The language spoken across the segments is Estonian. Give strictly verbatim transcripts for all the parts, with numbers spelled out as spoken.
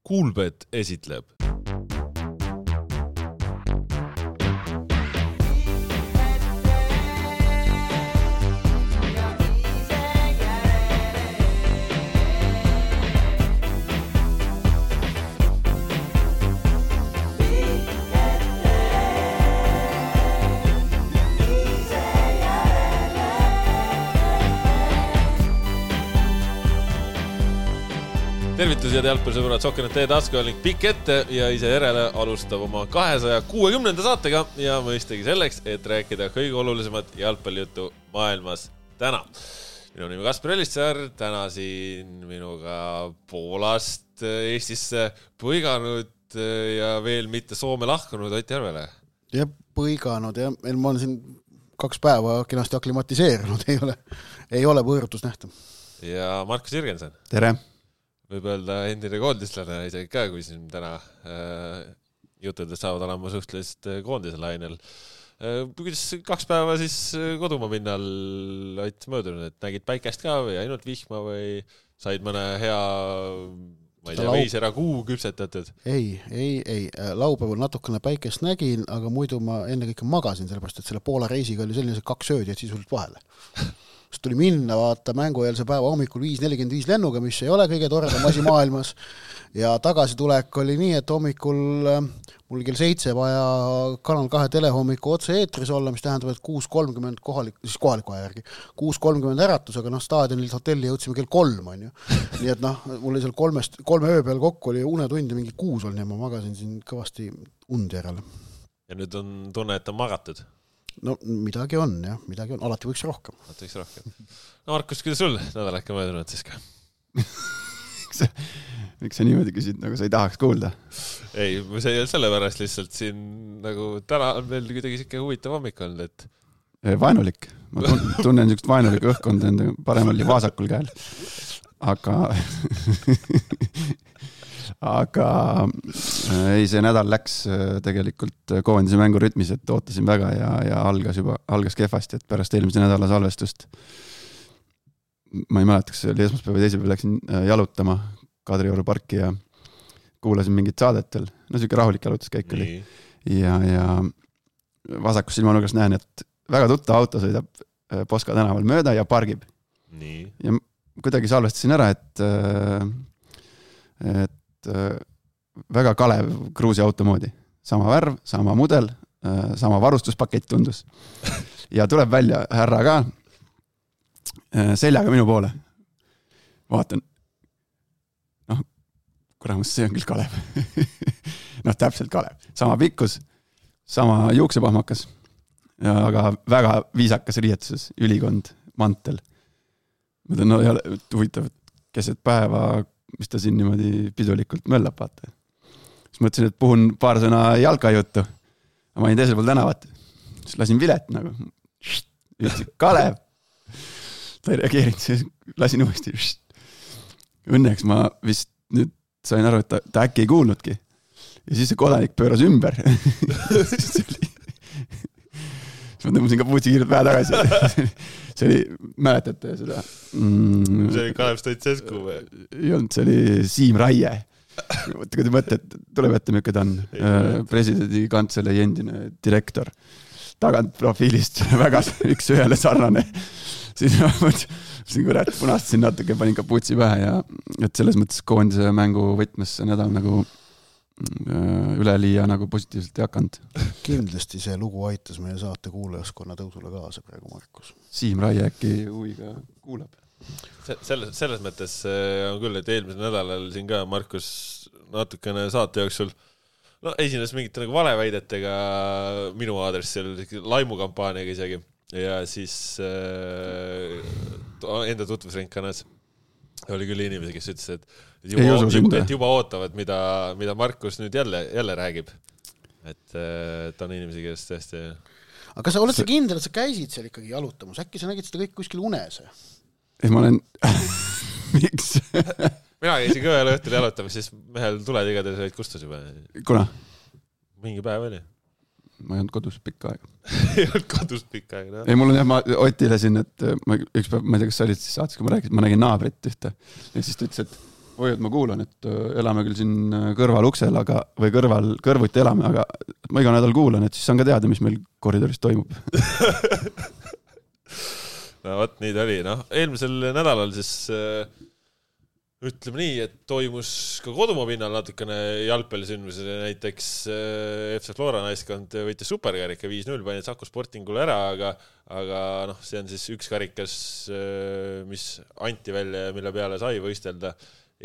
Kuulbet esitleb. Tervitused jalgpallisõbrad, Sokkenet tee taskuoling pikk ette ja ise järele alustab oma kahesaja kuuekümnenda saatega ja mõistagi selleks, et rääkida kõige olulisemat jalgpallijuttu maailmas täna. Minu nimi Kaspar Elissaar, täna siin minuga Poolast Eestisse põiganud ja veel mitte Soome lahkunud Ott Järvele. Ja põiganud ja ma olen siin kaks päeva kenasti aklimatiseerunud, ei ole, ei ole võõrutus nähta. Ja Markus Jürgensen. Tere! Võib öelda endine koondislane isegi ka, kui siin täna äh, jutudest saavad olema suhtelist koondise lainel. Äh, kuidas kaks päeva siis kodumaa pinnal Ott möödunud, et nägid päikest ka või ainult vihma või said mõne hea ma ei tea, veisera kuu küpsetatud? Ei, ei, ei. Laupäeval natukene päikest nägin, aga muidu ma enne kõike magasin, sellepärast, et selle Poola reisiga oli selline kaks öödi, et sisuliselt vahele. Sest tuli minna vaata mängueelse päeva hommikul viis nelikümmend viis lennuga, mis ei ole kõige toredam asi maailmas. Ja tagasi tulek oli nii, et hommikul mul kell seitse vaja Kanal kahe telehommiku otse eetris olla, mis tähendab, et kuus kolmkümmend kohalik, siis kohaliku aja järgi, kuus kolmkümmend äratus, aga noh, staadionilt hotelli jõudsime kell kolm, on ju. Nii et noh, mul oli seal kolmest, kolme öö peal kokku oli unetundi mingi kuus olnud ja ma magasin siin kõvasti und järele. Ja nüüd on tunne, et on magatud? No midagi on, jah, midagi on. Alati võiks rohkem. Alati võiks rohkem. No Markus, kuidas sul nädal äkki möödunud siis ka? Miks sa niimoodi küsid, nagu sa ei tahaks kuulda? Ei, see ei ole selle pärast lihtsalt siin nagu täna on veel kuidagi siuke huvitav hommik olnud, et... Vaenulik. Ma tunnen niisugust vaenulikku õhkkond enda paremal ja vasakul käel. Aga... aga ei, see nädal läks tegelikult koondise mängu rütmis, et ootasin väga ja, ja algas juba, algas kehvasti, et pärast eelmise nädala salvestust ma ei mäleta, kas see oli esmaspäeva teise peal läksin jalutama Kadrioru parki ja kuulasin mingit saadetel, no siuke rahulik jalutuskäik oli ja, ja vasakus silmanurgas näen, et väga tuttav auto sõidab Poska tänaval mööda ja pargib. Nii. Ja kuidagi salvestasin ära, et et väga Kalev Kruusi auto moodi. Sama värv, sama mudel, sama varustuspakett tundus. Ja tuleb välja härra ka seljaga minu poole. Vaatan, noh, kuramus, see on küll Kalev. noh, täpselt Kalev. Sama pikkus, sama juuksepahmakas, aga väga viisakas riietuses, ülikond, mantel. Ma tean, no ei ole huvitav, keset päeva mis ta siin niimoodi pidulikult möllab, vaata. Siis mõtlesin, et puhun paar sõna jalkajuttu. Ma olin teisel pool tänavat. Siis lasin vilet nagu. Ütlesin, Kalev. Ta ei reageerinud, siis lasin uuesti. Õnneks ma vist nüüd sain aru, et ta, ta äkki ei kuulnudki. Ja siis see kodanik pööras ümber. siis oli... siis ma tõmbasin ka puutsi kiirelt vähe tagasi. See oli, mäletate seda? Mm, see oli Kalev Stoitsescu või? Ei olnud, see oli Siim Raie. Kui te mõtlete, tuleb ette, milline ta on. Presidendi kantselei endine direktor. Tagant profiilist väga üks ühele sarnane. Siis ma mõtlesin, kurat, punastasin natuke, panin ka puutsi pähe ja et selles mõttes koondise mängu võtmes see nädal nagu üleliia nagu positiivselt ei hakanud. Kindlasti see lugu aitas meie saate kuulajaskonna tõusule kaasa praegu, Markus. Siim Raie äkki huviga kuulab. Selles, selles mõttes on küll, et eelmisel nädalal siin ka Markus natukene saate jooksul no, esines mingite nagu valeväidetega minu aadressil, laimukampaaniaga isegi ja siis äh, enda tutvusringkanas oli küll inimesi, kes ütles, et juba, juba, et juba ootavad, mida, mida Markus nüüd jälle, jälle räägib. Et, et on inimesi, kes tõesti... Aga sa oled sa kindel, et sa käisid seal ikkagi jalutamas? Äkki sa nägid seda kõik kuskil unes? Ei, ma olen... Miks? Mina käisin ka ühel õhtul jalutamas, siis mehel tuled igatahes olid kustus juba. Kuna? Mingi päev oli. Ma ei olnud kodus pikka aega. ei olnud kodus pikka aega, no. Ei, mul on jah, ma Otile siin, et ma, üks päev, ma ei tea, kas sa olid siis saates, kui ma rääkisin, ma nägin naabrit ühte. Ja siis ta ütles, et oi, et ma kuulan, et elame küll siin kõrval uksel, aga, või kõrval, kõrvuti elame, aga ma iga nädal kuulan, et siis saan ka teada, mis meil koridoris toimub. No võt, nii ta oli. No, eelmisel nädalal siis äh, ütleme nii, et toimus ka kodumaa pinnal natukene jalgpallisündmus. Näiteks äh, F C Flora naiskond võitis superkarika viis null, pani Saku Sportingule ära, aga, aga noh, see on siis üks karikas, äh, mis anti välja ja mille peale sai võistelda.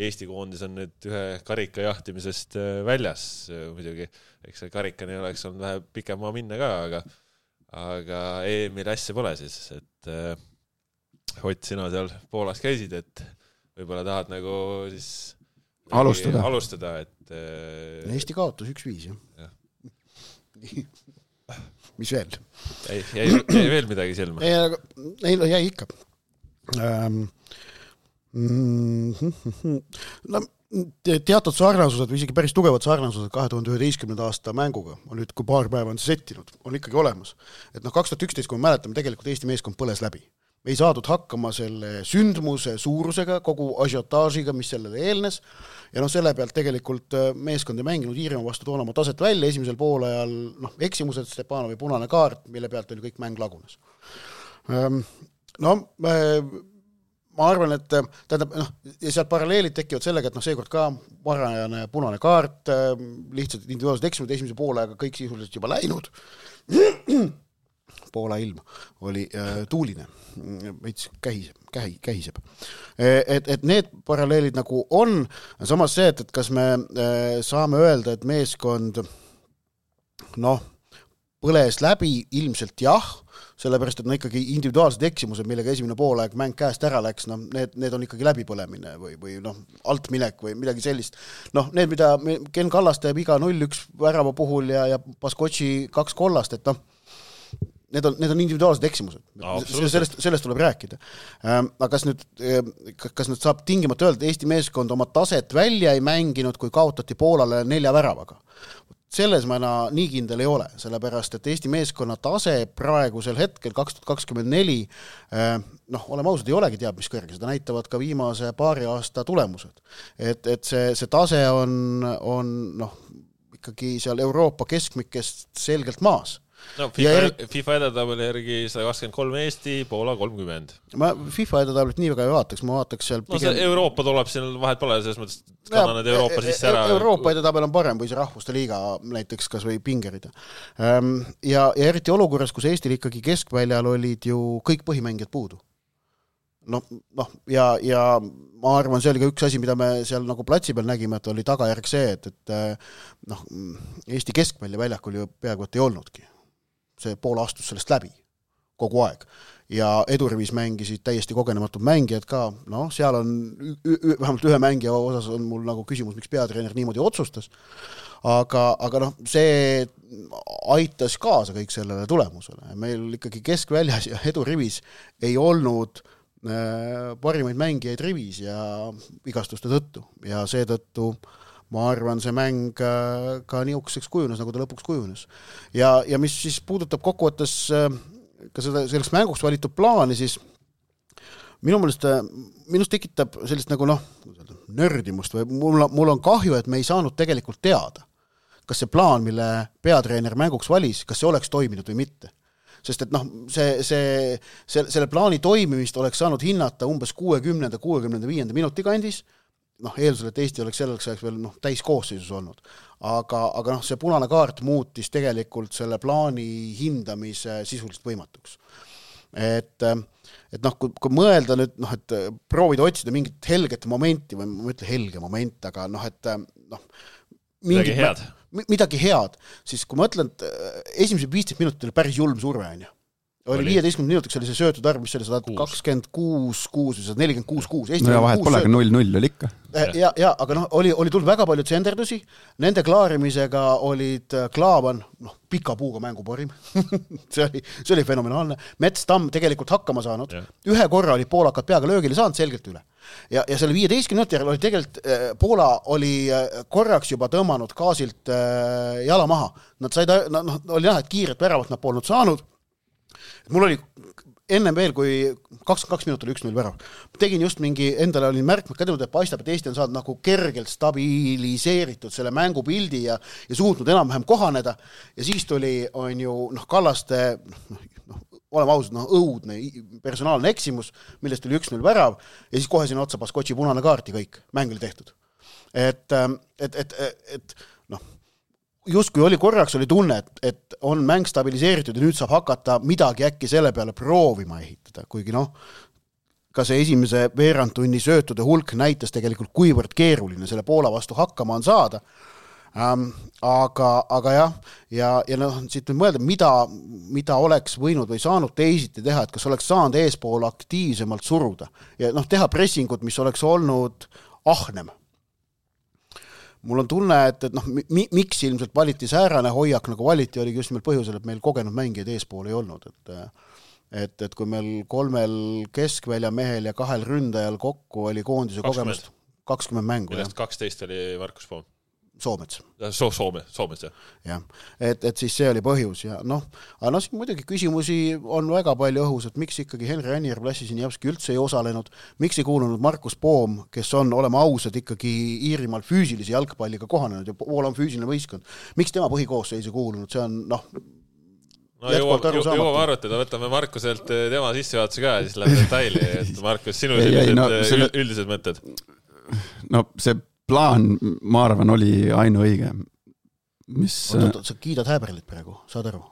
Eesti koondis on nüüd ühe karika jahtimisest äh, väljas äh, muidugi. Eks see karikani oleks olnud vähe pikem maa minna ka, aga aga E M-il asja pole siis, et äh, Ott, sina seal Poolas käisid, et võib-olla tahad nagu siis alustada, alustada et äh, Eesti kaotus üks viis, jah. Ja. Mis veel? Ei, jäi, jäi veel midagi silma? Ei, aga, ei no jäi ikka. Ähm, mm, no, teatud sarnasused või isegi päris tugevad sarnasused kahe tuhande üheteistkümnenda aasta mänguga on nüüd, kui paar päeva on see settinud, on ikkagi olemas. Et noh, kaks tuhat üksteist, kui me mäletame, tegelikult Eesti meeskond põles läbi. Me ei saadud hakkama selle sündmuse suurusega, kogu asiotaažiga, mis sellele eelnes, ja noh, selle pealt tegelikult meeskond ei mänginud Iirimaa vastu toona oma taset välja, esimesel poolajal noh, eksimused, Stepanovi punane kaart, mille pealt oli kõik mäng lagunes. No, ma arvan, et tähendab, noh, ja sealt paralleelid tekivad sellega, et noh, seekord ka varajane punane kaart, lihtsalt individuaalsed eksimused esimese poolajaga kõik sisuliselt juba läinud. Poola ilm oli äh, tuuline, veits kähiseb, kähi, kähiseb. Et, et need paralleelid nagu on, samas see, et, et kas me äh, saame öelda, et meeskond noh, põles läbi ilmselt jah, sellepärast, et no ikkagi individuaalsed eksimused, millega esimene poolaeg mäng käest ära läks, no need, need on ikkagi läbipõlemine või, või noh, altminek või midagi sellist. Noh, need, mida Ken Kallas teeb iga null üks värava puhul ja, ja Baskotši kaks kollast, et noh, need on, need on individuaalsed eksimused. No, sellest, sellest tuleb rääkida. Aga kas nüüd, kas nüüd saab tingimata öelda, et Eesti meeskond oma taset välja ei mänginud, kui kaotati Poolale nelja väravaga? Selles ma nii kindel ei ole, sellepärast, et Eesti meeskonna tase praegusel hetkel kaks tuhat kakskümmend neli, noh, oleme ausad, ei olegi teab mis kõrge, seda näitavad ka viimase paari aasta tulemused. Et, et see, see tase on, on noh, ikkagi seal Euroopa keskmikest selgelt maas. No, FIFA, er... FIFA edetabeli järgi sada kakskümmend kolm Eesti, Poola kolmkümmend. Ma FIFA edetabelit nii väga ei vaataks, ma vaataks seal pigem... No see Euroopa tuleb siin vahet pole, selles mõttes kannan need Euroopa ja, sisse ära. Euroopa edetabel on parem või see rahvuste liiga näiteks kas või pingerida. Ja, ja eriti olukorras, kus Eestil ikkagi keskväljal olid ju kõik põhimängijad puudu. No, noh, ja, ja ma arvan, see oli ka üks asi, mida me seal nagu platsi peal nägime, et oli tagajärg see, et, et noh, Eesti keskvälja väljakul ju peaaegu et ei olnudki. See pool astus sellest läbi kogu aeg. Ja edurivis mängisid täiesti kogenematud mängijad ka. No, seal on ü- ü- vähemalt ühe mängija osas on mul nagu küsimus, miks peatreener niimoodi otsustas. Aga, aga noh, see aitas kaasa kõik sellele tulemusele. Meil ikkagi keskväljas ja edurivis ei olnud äh, parimaid mängijaid rivis ja vigastuste tõttu. Ja seetõttu ma arvan, see mäng ka niisuguseks kujunes, nagu ta lõpuks kujunes. Ja, ja mis siis puudutab kokkuvõttes ka seda, selleks mänguks valitud plaani, siis minu meelest, minust tekitab sellist nagu noh, nördimust või mul, mul on kahju, et me ei saanud tegelikult teada, kas see plaan, mille peatreener mänguks valis, kas see oleks toiminud või mitte. Sest et noh, see, see, see, selle plaani toimimist oleks saanud hinnata umbes kuuekümnenda kuuekümne viienda minuti kandis, noh, eeldusel, et Eesti oleks selleks ajaks veel noh, täis koosseisus olnud. Aga, aga noh, see punane kaart muutis tegelikult selle plaani hindamise sisuliselt võimatuks. Et, et noh, kui, kui mõelda nüüd, noh, et proovida otsida mingit helget momenti, või ma ütlen helge moment, aga noh, et noh, midagi head. midagi head, siis kui ma ütlen, et esimese viisteist minutit oli päris julm surve, on ju. Oli viieteistkümne minutiks oli see söötud arv, mis oli sada kakskümmend kuus kuus või sada nelikümmend kuus kuus. No ja vahet pole, aga null null oli ikka. Ja, ja, aga noh, oli, oli tulnud väga palju tsenderdusi, nende klaarimisega olid Klaavan, noh, pika puuga mänguparim. see, oli, see oli fenomenaalne. Mets Tamm tegelikult hakkama saanud. Ja. Ühe korra oli poolakad peaga löögile saanud selgelt üle. Ja, ja selle viieteistkümne minuti järel oli tegelikult äh, Poola oli äh, korraks juba tõmmanud gaasilt äh, jala maha. Nad said, no, oli näha, et kiiret väravat nad polnud saanud. Mul oli ennem veel, kui kakskümmend kaks minutit oli üks null värav. Tegin just mingi, endale olin märkmed kädinud, et paistab, et Eesti on saanud nagu kergelt stabiliseeritud selle mängupildi ja, ja suutnud enam-vähem kohaneda. Ja siis tuli, on ju, noh, Kallaste, noh, oleme ausad, noh, õudne personaalne eksimus, millest tuli üks null värav ja siis kohe sinna otsa Baskotši punane kaarti kõik, mäng oli tehtud. Et, et, et, et noh, just kui oli korraks oli tunne, et, et on mäng stabiliseeritud ja nüüd saab hakata midagi äkki selle peale proovima ehitada, kuigi noh, ka see esimese veerandtunni söötude hulk näitas tegelikult kuivõrd keeruline selle Poola vastu hakkama on saada. Ähm, aga, aga jah, ja, ja noh, siit nüüd mõelda, mida, mida oleks võinud või saanud teisiti teha, et kas oleks saanud eespool aktiivsemalt suruda ja noh, teha pressingut, mis oleks olnud ahnem. Mul on tunne, et, et noh, mi, miks ilmselt valiti säärane hoiak, nagu valiti, oligi just nimelt põhjusel, et meil kogenud mängijad eespool ei olnud. Et, et, et kui meil kolmel keskvälja mehel ja kahel ründajal kokku oli koondise kogemust kakskümmend mängu. Millest kaksteist oli Markus Poom. Soomets. So, Soome, Soomets, jah. jah. Et, et siis see oli põhjus ja noh, aga noh, siin muidugi küsimusi on väga palju õhus, et miks ikkagi Henri Anijärv Lassi Sinjavski üldse ei osalenud, miks ei kuulunud Markus Poom, kes on, olema ausad, ikkagi Iirimaal füüsilise jalgpalliga kohanenud ja Poola on füüsiline võistkond. Miks tema põhikoosseis ei kuulunud, see on noh, no jõuame arvutada, võtame Markuselt tema sissejuhatuse ka ja siis läheb detaili, et Markus, sinu ei, ei, no, selle... üldised mõtted? No see plaan, ma arvan, oli ainu õige. Mis... Oot, oot, sa kiidad Häberlit praegu, saad aru?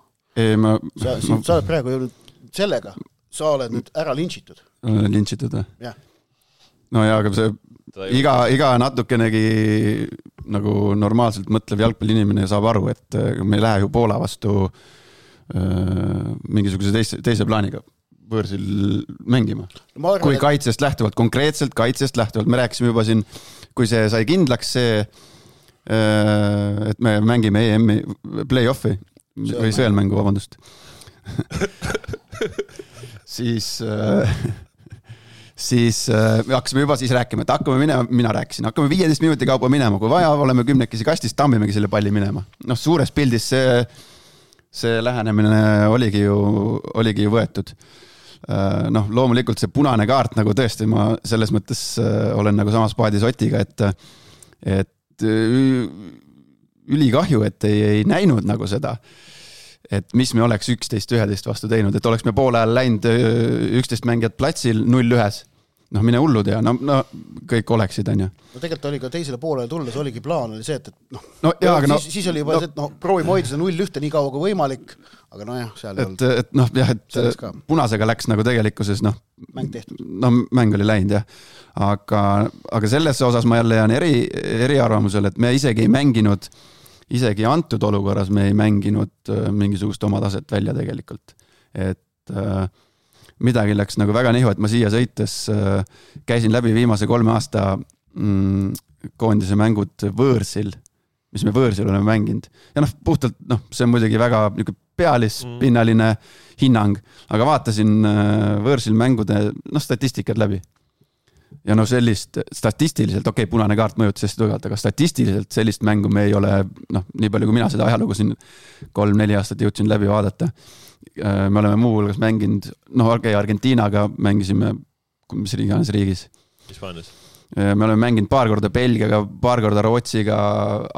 Ei, ma... Sa, ma... sa oled praegu sellega, sa oled nüüd ära linčitud. Linčitud, või? Jah. No jaa, aga see iga, iga natukenegi nagu normaalselt mõtlev jalgpalliinimene saab aru, et me ei lähe ju Poola vastu äh, mingisuguse teise, teise plaaniga võõrsil mängima. Arvan, kui kaitsest lähtuvalt, konkreetselt kaitsest lähtuvalt, me rääkisime juba siin, kui see sai kindlaks see, et me mängime E M-i play-offi või sõelmängu, vabandust. siis siis me hakkasime juba siis rääkima, et hakkame minema, mina rääkisin, hakkame viieteist minuti kaupa minema, kui vaja, oleme kümnekesi kastis, tammimegi selle palli minema. Noh, suures pildis see, see lähenemine oligi ju, oligi ju võetud. Noh, loomulikult see punane kaart, nagu tõesti ma selles mõttes olen nagu samas paadis Otiga, et, et ülikahju, et ei, ei näinud nagu seda, et mis me oleks üksteist üheteist vastu teinud, et oleks me poole ajal läinud üksteist mängijad platsil null ühes. Noh, mine hullud ja no, no kõik oleksid, on ju. No tegelikult oli ka teisele poolele tulles, oligi plaan, oli see, et, et noh, no, jaa, siis, no, siis oli juba no, see, et noh, proovime hoida seda null ühte nii kaua kui võimalik, aga no jah, seal ei olnud. Et noh, jah, et punasega läks nagu tegelikkuses, noh, mäng tehtud. No mäng oli läinud, jah. Aga, aga selles osas ma jälle jään eri, eri arvamusel, et me isegi ei mänginud, isegi antud olukorras me ei mänginud mingisugust oma taset välja tegelikult. Et äh, midagi läks nagu väga nihu, et ma siia sõites äh, käisin läbi viimase kolme aasta mm, koondise mängud võõrsil, mis me võõrsil oleme mänginud. Ja noh, puhtalt, noh, see on muidugi väga pealispinnaline hinnang, aga vaatasin äh, võõrsil mängude noh, statistikad läbi. Ja noh, sellist statistiliselt, okei, okay, punane kaart mõjutas hästi tugevalt, aga statistiliselt sellist mängu me ei ole, noh, nii palju kui mina seda ajalugu siin kolm-neli aastat jõudsin läbi vaadata. Me oleme muu hulgas mänginud, noh, okei, Argentiinaga mängisime, mis riigis riigis. Hispaanias. Me oleme mänginud paar korda Belgiaga, paar korda Rootsiga,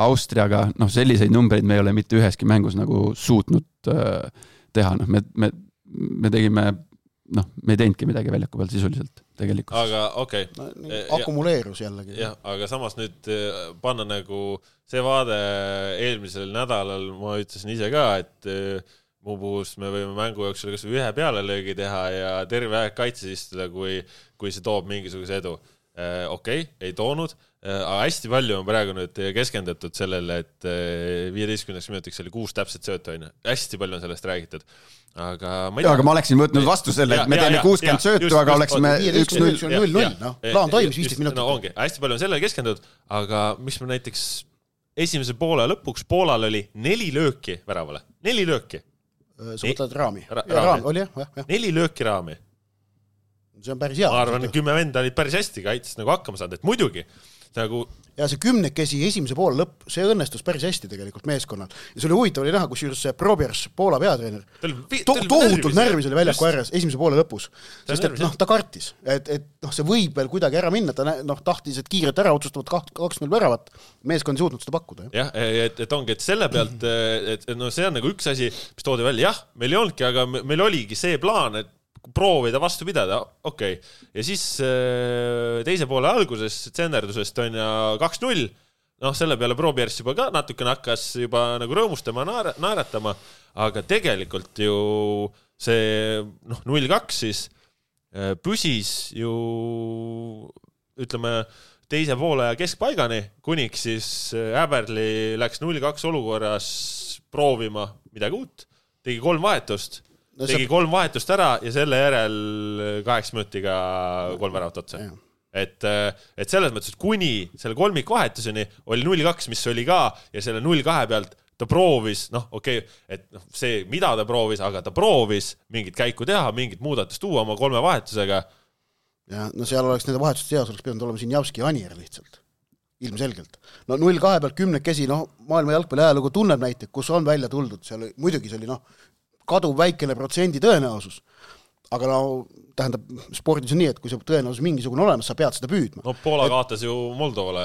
Austriaga, noh, selliseid numbreid me ei ole mitte üheski mängus nagu suutnud teha, noh, me, me, me tegime, noh, me ei teinudki midagi väljaku pealt sisuliselt tegelikult. Aga okei. Okay. No, akumuleerus jällegi. Jah, aga samas nüüd panna nagu see vaade eelmisel nädalal, ma ütlesin ise ka, et muu puhus me võime mängu jooksul kas või ühe pealelöögi teha ja terve aeg kaitses istuda, kui, kui see toob mingisuguse edu. Okei, okay, ei toonud, aga hästi palju on praegu nüüd keskendatud sellele, et viieteistkümneks minutiks oli kuus täpset söötu, on. Hästi palju on sellest räägitud. Aga ma, ja, aga ma oleksin võtnud vastu selle, et me teeme kuuskümmend söötu, aga just, oleksime üks null null, no, plaan toimis viisteist minutit. No ongi, hästi palju on sellele keskendatud, aga mis me näiteks esimese poole lõpuks Poolal oli neli lööki väravale. Neli lööki. Sa võtad raami. Ra ja, raami. Oli, jah, jah. Neli lööki raami. See on päris hea. Ma arvan, et kümme venda olid päris hästi kaitses nagu hakkama saanud, et muidugi nagu ja see kümnekesi esimese poole lõpp, see õnnestus päris hästi tegelikult meeskonnal. Ja see oli huvitav oli näha, kus juures see Probiers, Poola peatreener, to tohutult närvis oli väljaku ääres esimese poole lõpus. Sest et noh, ta kartis, et, et noh, see võib veel kuidagi ära minna, ta noh, tahtis, et kiirelt ära otsustavad kaks null väravat, meeskond ei suutnud seda pakkuda. Jah, et, et ongi, et selle pealt, et no see on nagu üks asi, mis toodi välja, jah, meil ei olnudki, aga meil oligi see plaan, et proovida vastu pidada, okei okay.. Ja siis teise poole alguses tsenderdusest on ja kaks null, noh selle peale Probiers juba ka natukene hakkas juba nagu rõõmustama, naeratama, aga tegelikult ju see noh, null kaks siis püsis ju ütleme teise poole keskpaigani, kuniks siis Äberli läks null kaks olukorras proovima midagi uut, tegi kolm vahetust, no, tegi kolm vahetust ära ja selle järel kaheksa minutiga kolm väravat otsa. Et, et selles mõttes, et kuni selle kolmik vahetuseni oli null kaks, mis oli ka, ja selle null kahe pealt ta proovis, noh okei, okay, et noh, see, mida ta proovis, aga ta proovis mingit käiku teha, mingit muudatust tuua oma kolme vahetusega. Ja no seal oleks nende vahetuste seas, oleks pidanud olema siin Javski ja Anier lihtsalt. Ilmselgelt. No null kahe pealt kümnekesi, noh, maailma jalgpalli ajalugu tunneb näite, kus on välja tuldud, seal muidugi see oli noh, kaduv väikene protsendi tõenäosus, aga no tähendab, spordis on nii, et kui see tõenäosus mingisugune olemas, sa pead seda püüdma. No Poola et, kaotas ju Moldovale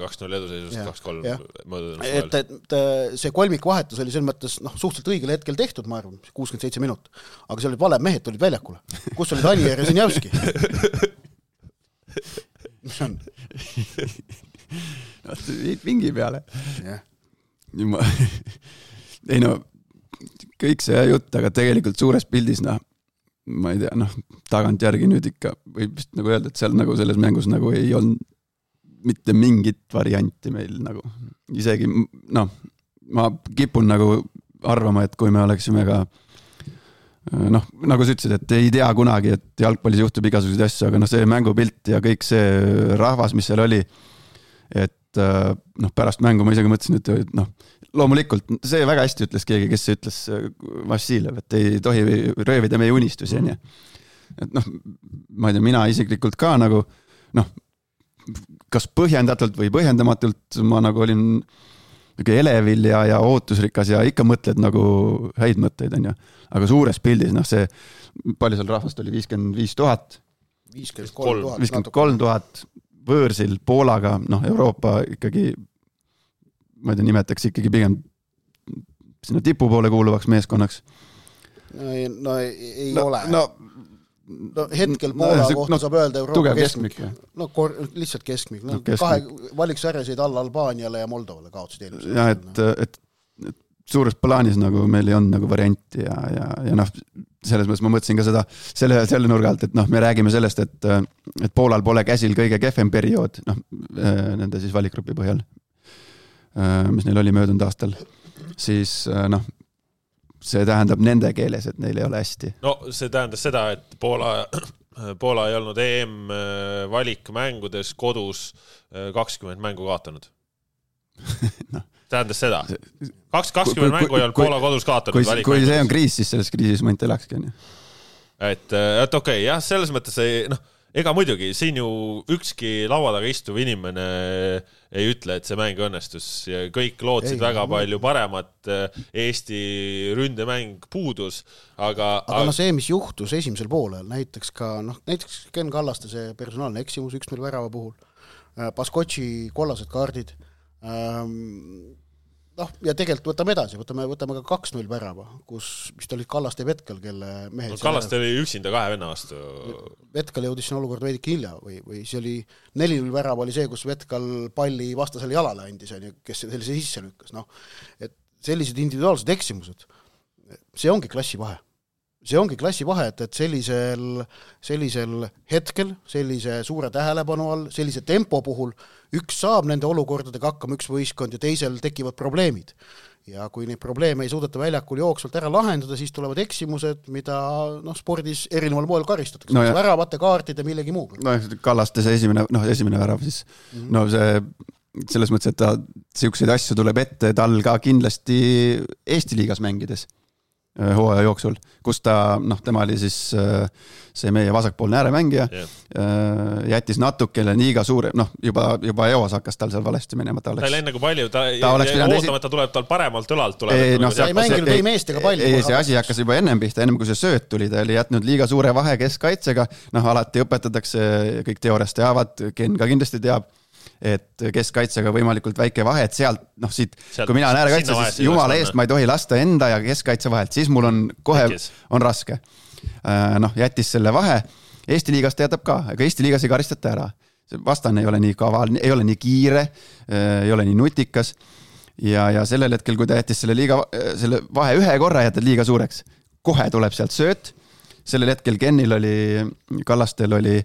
kaks null eduseisust, kaks kolm möödunud. Et, et see kolmik vahetus oli selles mõttes noh, suhteliselt õigel hetkel tehtud, ma arvan, kuuskümmend seitse minut, aga see olid valed mehed, olid väljakule. Kus olid Anier ja Sinjavski? Mis on? Vingi peale. Yeah. Ma... Ei no, kõik see jutt, aga tegelikult suures pildis, noh, ma ei tea, noh, tagant järgi nüüd ikka võib vist nagu öelda, et seal nagu selles mängus nagu ei olnud mitte mingit varianti meil nagu. Isegi, noh, ma kipun nagu arvama, et kui me oleksime ka noh, nagu sa ütlesid, et ei tea kunagi, et jalgpallis juhtub igasuguseid asju, aga noh, see mängupilt ja kõik see rahvas, mis seal oli, et noh, pärast mängu ma isegi mõtlesin, et noh, loomulikult, see väga hästi ütles keegi, kes ütles Vassiljev, et ei tohi röövida meie unistusi, on ja. Et noh, ma ei tea, mina isiklikult ka nagu, noh, kas põhjendatult või põhjendamatult ma nagu olin elevil ja, ja ootusrikas ja ikka mõtled nagu häid mõtteid, on ja. Aga suures pildis, noh see, palju seal rahvast oli, viiskümmend viis tuhat, viiskümmend kolm tuhat võõrsil Poolaga, noh Euroopa ikkagi ma ei tea, nimetaks ikkagi pigem sinna tipu poole kuuluvaks meeskonnaks. No ei, no ei, ei no, ole. No, no hetkel Poola no, kohta no, saab öelda Euroopa keskmik. keskmik. No kor, lihtsalt keskmik. No, no, keskmik. Kahe valiksarjasid alla Albaaniale ja Moldovale kaotsid eelmisel. Ja et, et, et suures plaanis nagu meil ei olnud nagu varianti ja, ja, ja noh, selles mõttes ma mõtlesin ka seda selle, selle nurga alt, et noh, me räägime sellest, et, et Poolal pole käsil kõige kehvem periood, noh, nende siis valikgrupi põhjal, mis neil oli möödunud aastal, siis noh, see tähendab nende keeles, et neil ei ole hästi. No see tähendas seda, et Poola, Poola ei olnud E M valikmängudes kodus kakskümmend mängu kaotanud. no. Tähendas seda. Kaks, kakskümmend mängu ei olnud Poola kodus kaotanud. Kui, kui see on kriis, siis selles kriisis mõnt elakski. Et, et okei, okay, jah, selles mõttes ei, noh, ega muidugi, siin ju ükski laua taga istuv inimene ei ütle, et see mäng õnnestus ja kõik lootsid ei, väga palju paremat, Eesti ründemäng puudus, aga... Aga no see, mis juhtus esimesel poolel, näiteks ka, noh, näiteks Ken Kallaste see personaalne eksimus üks null värava puhul, Baskotši kollased kaardid, noh, ja tegelikult võtame edasi, võtame, võtame ka kaks null värava, kus vist olid Kallaste ja Vetkal, kelle mehed... No, Kallaste oli üksinda kahe venna vastu. Vetkal jõudis siin olukord veidike hilja või, või see oli neli null värava oli see, kus Vetkal palli vastasele jalale andis, kes sellise sisse lükkas. No, et sellised individuaalsed eksimused, see ongi klassi vahe. See ongi klassi vahe, et, et sellisel, sellisel hetkel, sellise suure tähelepanu all, sellise tempo puhul üks saab nende olukordadega hakkama üks võistkond ja teisel tekivad probleemid. Ja kui neid probleeme ei suudeta väljakul jooksvalt ära lahendada, siis tulevad eksimused, mida noh, spordis erineval moel karistatakse. No ja... väravate kaartide millegi muuga. No Kallaste see esimene, noh, esimene värav siis. Mm-hmm. No see selles mõttes, et ta siukseid asju tuleb ette tal ka kindlasti Eesti liigas mängides. hooaja jooksul, kus ta, noh, tema oli siis see meie vasakpoolne ääremängija yeah., jättis natukene liiga suure, noh, juba, juba eos hakkas tal seal valesti minema. Ta, oleks, ta ei läinud nagu palju, ta, ta ootama, esi... et ta tuleb tal paremalt õlalt tuleb. Ei, no, ta ei mänginud ei meestega palju. Ei, see asi hakkas juba ennem pihta, ennem kui see sööt tuli, ta oli jätnud liiga suure vahe keskkaitsega, noh, alati õpetatakse, kõik teooriast teavad, Ken ka kindlasti teab, et keskkaitsega võimalikult väike vahe, et sealt, noh siit, sealt, kui mina olen äärekaitse, siis jumala eest ma ei tohi lasta enda ja keskkaitse vahelt, siis mul on kohe, Tekis. on raske. Noh, jättis selle vahe, Eesti liigas teatab ka, aga Eesti liigas ei karistata ära. Vastane ei ole nii kaval, ei ole nii kiire, ei ole nii nutikas ja, ja sellel hetkel, kui ta jättis selle, liiga, selle vahe ühe korra jätad liiga suureks, kohe tuleb sealt sööt, sellel hetkel Kenil oli, Kallastel oli,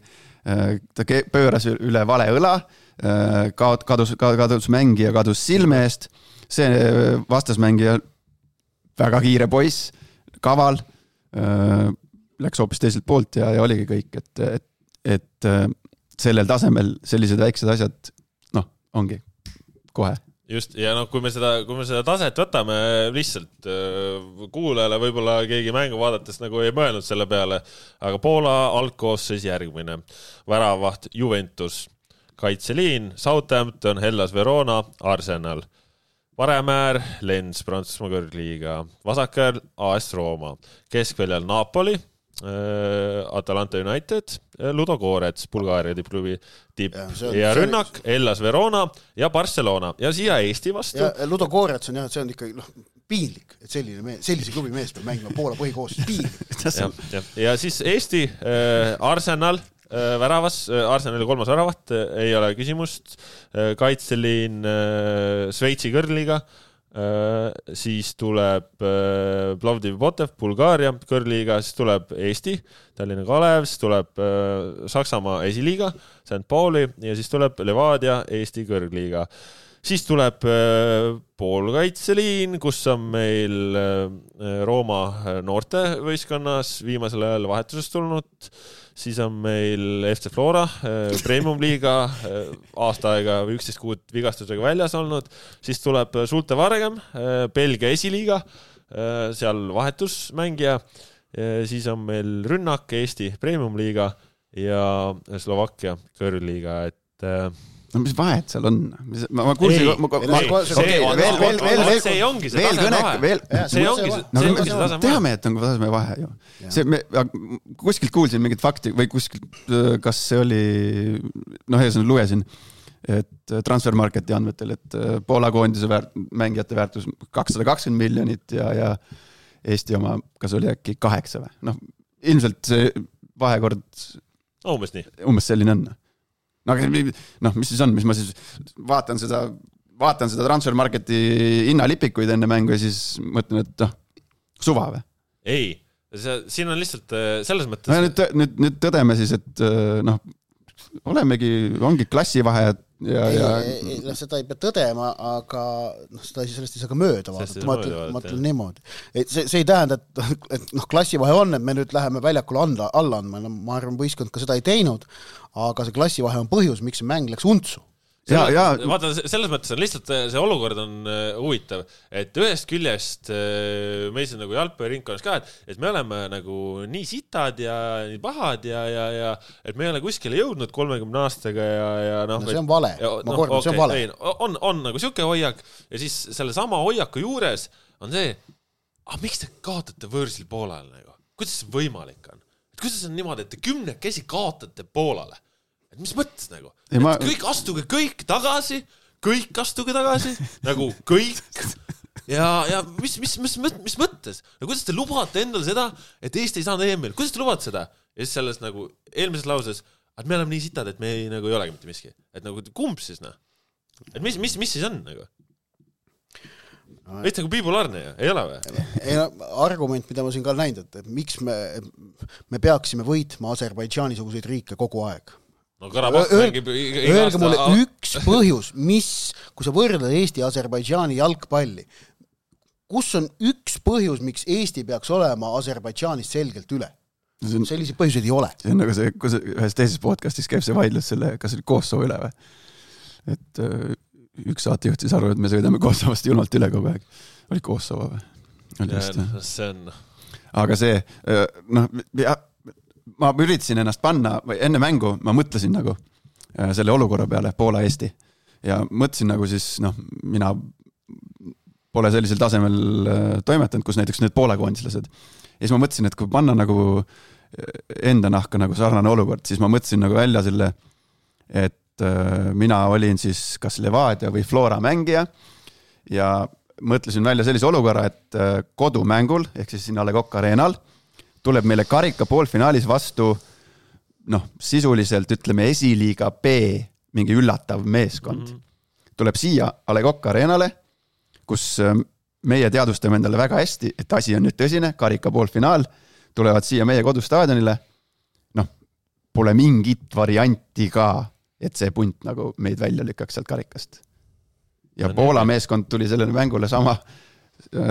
ta pööras üle vale õla, Kaod, kadus, kadus mängija, kadus silme eest, see vastasmängija väga kiire poiss, kaval, läks hoopis teiselt poolt ja, ja oligi kõik, et, et, et sellel tasemel sellised väiksed asjad, noh, ongi kohe. Just, ja noh, kui me seda, kui me seda taset võtame lihtsalt kuulajale, võib-olla keegi mängu vaadates nagu ei mõelnud selle peale, aga Poola algkoosseis järgmine, väravaht Juventus, kaitseliin, Southampton, Hellas Verona, Arsenal. Paremäär, Lens, Prantsusmaa kõrgliiga. Vasakääl, A S Rooma. Keskväljal Napoli, äh, Atalanta United, Ludo Gorets, Bulgaaria tippklubi tipp. Ja, on, ja rünnak, Hellas Verona ja Barcelona. Ja siia Eesti vastu. Ja Ludo Gorets on jah, see on ikka noh, piinlik, et selline mees, sellise klubi mees peab mängima Poola põhikoosseis. Piinlik. ja, ja, ja siis Eesti, äh, Arsenal, väravas, Arsenali kolmas väravat, ei ole küsimust, kaitseliin Sveitsi kõrliga, siis tuleb Plovdiv Botev, Bulgaaria kõrliga, siis tuleb Eesti, Tallinna Kalev, siis tuleb Saksamaa esiliiga, Saint Pauli ja siis tuleb Levadia, Eesti kõrgliga. Siis tuleb poolkaitseliin, kus on meil Rooma noorte võistkonnas viimasel ajal vahetusest tulnud, siis on meil F C Flora, Premium liiga, aasta aega või üksteist kuud vigastusega väljas olnud, siis tuleb Sulte Vargem, Belgia esiliiga, seal vahetusmängija, siis on meil Rünnak, Eesti Premium liiga ja Slovakkia kõrgliiga, et no mis vahet seal on? Ma, ma kuulsin... Ei, ma, ma, see, see, veel, veel, veel, veel, see ongi see taseme vahe. Veel, see ongi see, no, see, ongi see taseme vahe. Teame, et on taseme vahe ju. See, me, kuskilt kuulsin mingit fakti või kuskilt, kas see oli, noh, ees lugesin, et Transfermarketi andmetel, et Poola koondise väärt, mängijate väärtus kakssada kakskümmend miljonit ja, ja Eesti oma, kas oli äkki kaheksa või? Noh, ilmselt see vahekord no, umbes nii. Umbes selline on. No, noh, mis siis on, mis ma siis vaatan seda, vaatan seda Transfermarketi hinnalipikuid enne mängu ja siis mõtlen, et noh, suva või? Ei, see, siin on lihtsalt selles mõttes... No, nüüd, nüüd, nüüd tõdeme siis, et noh, olemegi, ongi klassivahe ja, ja... Ei, ei, seda ei pea tõdema, aga noh, seda sellest ei saa ka mööda vaadata. Ma ütlen, ma ütlen niimoodi. Et see, see ei tähenda, et, et noh, klassivahe on, et me nüüd läheme väljakule anda, alla andma. No, ma arvan, võistkond ka seda ei teinud, aga see klassivahe on põhjus, miks see mäng läks untsu. Ja, ja. Vaata, selles mõttes on lihtsalt see olukord on huvitav, et ühest küljest meis on nagu jalgpalliringkonnas ka, et, et me oleme nagu nii sitad ja nii pahad ja, ja, ja et me ei ole kuskile jõudnud kolmekümne aastaga ja, ja noh. No see on vale, ja, ma no, kordan, okay, see on vale. Ei, on, on nagu siuke hoiak ja siis selle sama hoiaku juures on see, ah, miks te kaotate võõrsil Poolale nagu? Kuidas see võimalik on? Et kuidas on niimoodi, et te kümnekesi kaotate Poolale? Et mis mõttes nagu? Et ma... kõik astuge kõik tagasi, kõik astuge tagasi, nagu kõik. Ja, ja mis, mis, mis, mis mõttes? No kuidas te lubate endale seda, et Eesti ei saanud E M-il? Kuidas te lubate seda? Ja siis selles nagu eelmises lauses, et me oleme nii sitad, et me ei, nagu, ei olegi mitte miski. Et nagu kumb siis, noh? Et mis, mis, mis siis on nagu? Veits nagu bipolaarne ja ei ole või? Ei, argument, mida ma siin ka näinud, et miks me, me peaksime võitma Aserbaidžaani-suguseid riike kogu aeg. No Karabakh mängib öelge mulle üks põhjus, mis, kui sa võrdled Eesti ja Aserbaidžaani jalgpalli, kus on üks põhjus, miks Eesti peaks olema Aserbaidžaanist selgelt üle? On, sellise põhjuseid ei ole. See on nagu see, kus ühes teises podcastis käib see vaidlus selle, kas oli Kosovo üle või? Et üks saatejuht siis arvab, et me sõidame Kosovost julmalt üle kogu aeg. Oli Kosovo või? see on. Aga see, noh, ma üritasin ennast panna, või enne mängu ma mõtlesin nagu selle olukorra peale Poola-Eesti ja mõtlesin nagu siis, noh, mina pole sellisel tasemel toimetanud, kus näiteks need Poola koondislased. Ja siis ma mõtlesin, et kui panna nagu enda nahka nagu sarnane olukord, siis ma mõtlesin nagu välja selle, et mina olin siis kas Levadia või Flora mängija ja mõtlesin välja sellise olukorra, et kodumängul, ehk siis siin A Le Coq Arenal, tuleb meile karika poolfinaalis vastu, noh, sisuliselt ütleme esiliiga B, mingi üllatav meeskond. Mm-hmm. Tuleb siia A Le Coq Arenale, kus meie teadvustame endale väga hästi, et asi on nüüd tõsine, karika poolfinaal, tulevad siia meie kodustaadionile, noh, pole mingit varianti ka, et see punt nagu meid välja lükkaks sealt karikast. Ja no, Poola nii. Meeskond tuli sellele mängule sama,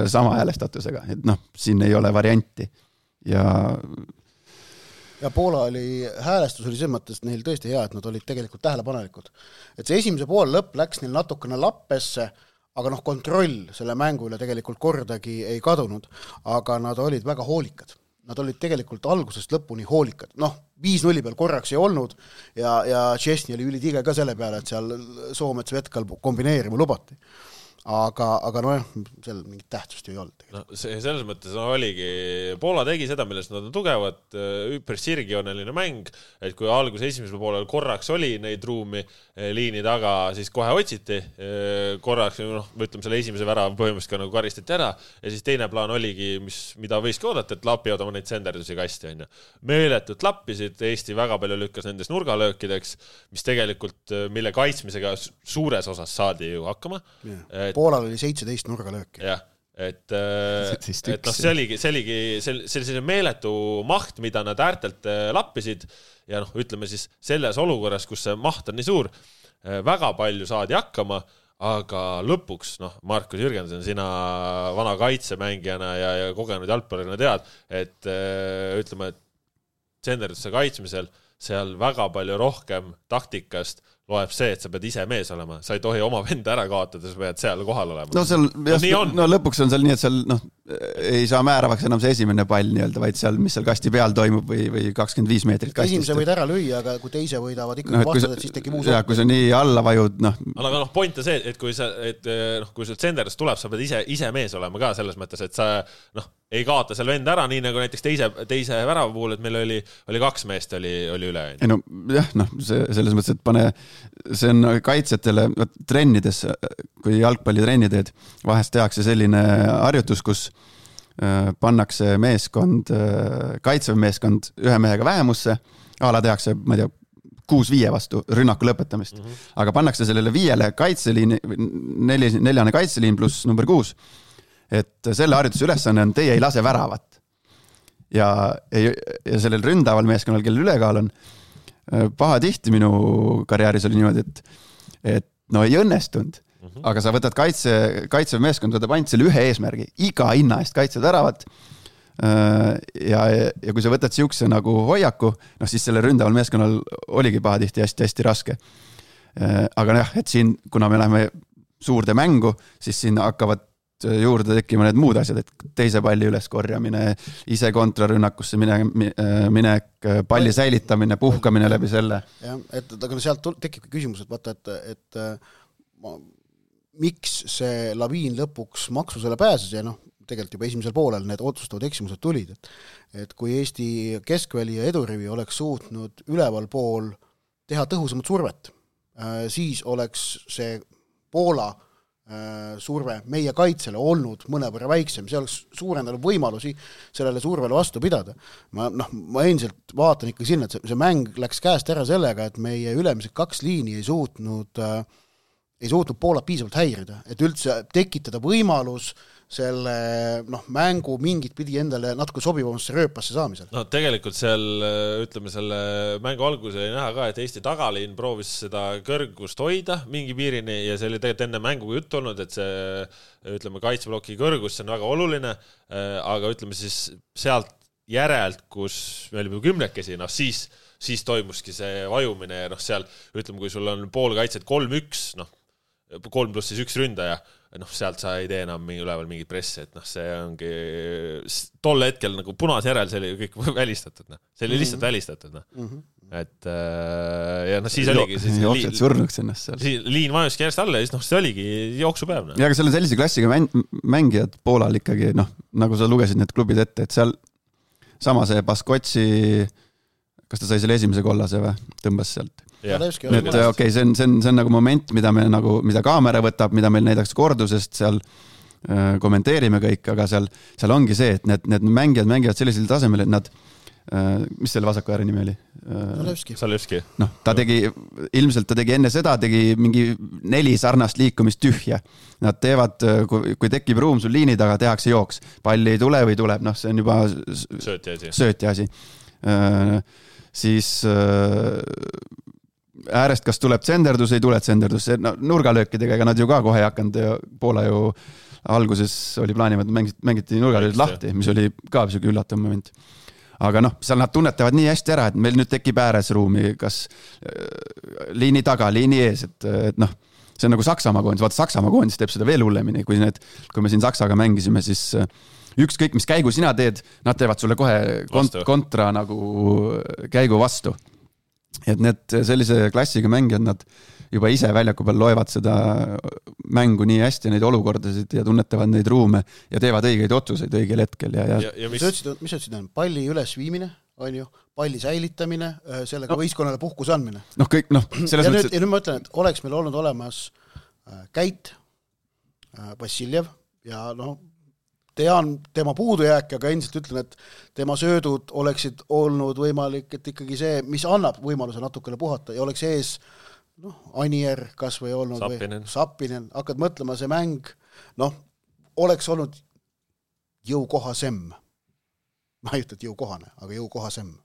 sama häälestatusega, et noh, siin ei ole varianti. Ja ja Poola oli, häälestus oli selles mõttes neil tõesti hea, et nad olid tegelikult tähelepanelikud. Et see esimese pool lõpp läks neil natukene lappesse, aga noh, kontroll selle mängu üle tegelikult kordagi ei kadunud, aga nad olid väga hoolikad. Nad olid tegelikult algusest lõpuni hoolikad. Noh, viis nulli peal korraks ei olnud ja, ja Chesney oli ülitige ka selle peale, et seal Soomets Vetkal kombineerima lubati. Aga, aga noh, seal mingit tähtsust ju ei olnud. No, see, selles mõttes no, oligi, Poola tegi seda, millest nad on tugevad, üpris sirgjooneline mäng, et kui algus esimesel poolel korraks oli neid ruumi liini taga, siis kohe otsiti korraks, noh, ütleme selle esimese vära põhimõtteliselt ka nagu karistati ära ja siis teine plaan oligi, mis, mida võiski oodata, et lapivad oma neid senderdusi kasti. On ju. Meeletult lappisid, Eesti väga palju lükkas nendes nurgalöökideks, mis tegelikult, mille kaitsmisega suures osas saadi ju hakkama. Yeah. Poolal oli seitseteist nurgalööki. Jah, et, et no, see oligi, see oligi selline meeletu maht, mida nad äärtelt lappisid ja noh, ütleme siis selles olukorras, kus see maht on nii suur, väga palju saadi hakkama, aga lõpuks, noh, Markus Jürgensen, sina vana kaitsemängijana ja, ja kogenud jalgpallurina tead, et ütleme, et senderdusse kaitsmisel seal väga palju rohkem taktikast loeb see, et sa pead ise mees olema. Sa ei tohi oma venda ära kaotada, sa pead seal kohal olema. No, seal, no, no lõpuks on seal nii, et seal noh, ei saa määravaks enam see esimene pall nii-öelda, vaid seal, mis seal kasti peal toimub või, või kakskümmend viis meetrit kastist. Esimese võid ära lüüa, aga kui teise võidavad ikkagi no, vastad, et siis tekib uus. Ja, kui sa nii alla vajud, noh. Aga noh, point on see, et kui sa, et noh, kui sul senderdus tuleb, sa pead ise, ise mees olema ka selles mõttes, et sa noh, ei kaota seal vend ära, nii nagu näiteks teise, teise värava puhul, et meil oli, oli kaks meest oli, oli üle. Ei no jah, noh, see, selles mõttes, et pane, see on kaitsjatele trennides, kui jalgpalli trenni teed, vahest tehakse selline harjutus, kus pannakse meeskond, kaitsev meeskond ühe mehega vähemusse, ala tehakse, ma ei tea, kuus viie vastu rünnaku lõpetamist, mm-hmm. aga pannakse sellele viiele kaitseliini, neli, neljane kaitseliin pluss number kuus, et selle harjutuse ülesanne on, teie ei lase väravat. Ja, ja sellel ründaval meeskonnal, kellel ülekaal on, paha tihti minu karjääris oli niimoodi, et, et no ei õnnestunud, mm-hmm. aga sa võtad kaitse, kaitsev meeskond, võtab ainult selle ühe eesmärgi, iga hinna eest kaitsed väravat ja, ja kui sa võtad siukse nagu hoiaku, noh siis selle ründaval meeskonnal oligi paha tihti hästi-hästi raske. Aga jah, et siin, kuna me läheme suurde mängu, siis siin hakkavad juurde tekkima need muud asjad, et teise palli üles korjamine, ise kontrarünnakusse mine, minek, palli säilitamine, puhkamine läbi selle. Ja, et aga sealt tekib küsimus, et vaata, et, et ma, miks see laviin lõpuks maksusele pääses ja noh, tegelikult juba esimesel poolel need otsustavad eksimused tulid, et, et kui Eesti keskväli ja edurivi oleks suutnud üleval pool teha tõhusamat survet, siis oleks see Poola surve meie kaitsele olnud mõnevõrra väiksem, see oleks suurendanud võimalusi sellele survele vastu pidada. Ma, noh, ma endiselt vaatan ikka sinna, et see, see mäng läks käest ära sellega, et meie ülemised kaks liini ei suutnud, äh, ei suutnud Poolat piisavalt häirida, et üldse tekitada võimalus selle noh, mängu mingit pidi endale natuke sobivamasse rööpasse saamisel. No tegelikult seal, ütleme, selle mängu alguses oli näha ka, et Eesti tagaliin proovis seda kõrgust hoida mingi piirini ja see oli tegelikult enne mängu jutt olnud, et see, ütleme, kaitsebloki kõrgus, see on väga oluline, aga ütleme siis sealt järelt, kus me olime kümnekesi, noh siis, siis toimuski see vajumine ja noh seal, ütleme, kui sul on pool kaitset kolm üks, noh, kolm pluss siis üks ründaja, noh, sealt sa ei tee enam mingi üleval mingit pressi, et noh, see ongi tol hetkel nagu punase järel see oli kõik välistatud, noh. See oli lihtsalt mm-hmm. välistatud, noh. Mm-hmm. Et ja noh, siis oligi siis liin, surnuks ennast seal. Siis liin vajuski järjest alla ja siis noh, see oligi jooksupäev, noh. Ja aga seal on sellise klassiga mängijad Poolal ikkagi, noh, nagu sa lugesid need klubid ette, et seal sama see Baskotsi, kas ta sai selle esimese kollase või tõmbas sealt? Yeah. et okei, okay, see on, see on, see on nagu moment, mida me nagu, mida kaamera võtab, mida meil näidaks kordusest seal äh, kommenteerime kõik, aga seal, seal ongi see, et need, need mängijad mängivad sellisel tasemel, et nad äh, mis selle vasaku ääre nimi oli? Zalewski. Zalewski. noh, ta tegi, ilmselt ta tegi enne seda, tegi mingi neli sarnast liikumist tühja. Nad teevad, kui, kui tekib ruum sul liini taga, tehakse jooks. Palli ei tule või tuleb, noh, see on juba sööti asi. Sööti asi. Äh, siis äh, äärest kas tuleb tsenderdus, ei tule tsenderdus, no, nurgalöökidega, ega nad ju ka kohe ei hakanud ja Poola ju alguses oli plaanivad, mängiti, mängiti nurgalööd lahti, mis oli ka siuke üllatav moment. Aga noh, seal nad tunnetavad nii hästi ära, et meil nüüd tekib ääres ruumi, kas liini taga, liini ees, et, et noh, see on nagu Saksamaa koondis, vaata Saksamaa koondis teeb seda veel hullemini, kui need, kui me siin Saksaga mängisime, siis ükskõik, mis käigu sina teed, nad teevad sulle kohe kont- kontra nagu käigu vastu. Et need sellise klassiga mängijad, nad juba ise väljaku peal loevad seda mängu nii hästi, neid olukordasid ja tunnetavad neid ruume ja teevad õigeid otsuseid õigel hetkel. Ja, ja... ja, ja mis sa ütlesid, on palli ülesviimine, on ju, palli säilitamine, sellega no. võistkonnale puhkus andmine. Noh, kõik, noh, selles ja, mõttes... nüüd, ja nüüd ma ütlen, et oleks meil olnud olemas Käit, Vassiljev ja noh, tean tema puudujääk, aga endiselt ütlen, et tema söödud oleksid olnud võimalik, et ikkagi see, mis annab võimaluse natukene puhata ja oleks ees noh, Anier kas või olnud Sappinen. või Sappinen, hakkad mõtlema, see mäng noh, oleks olnud jõukohasem. Ma ei ütle, et jõukohane, aga jõukohasem.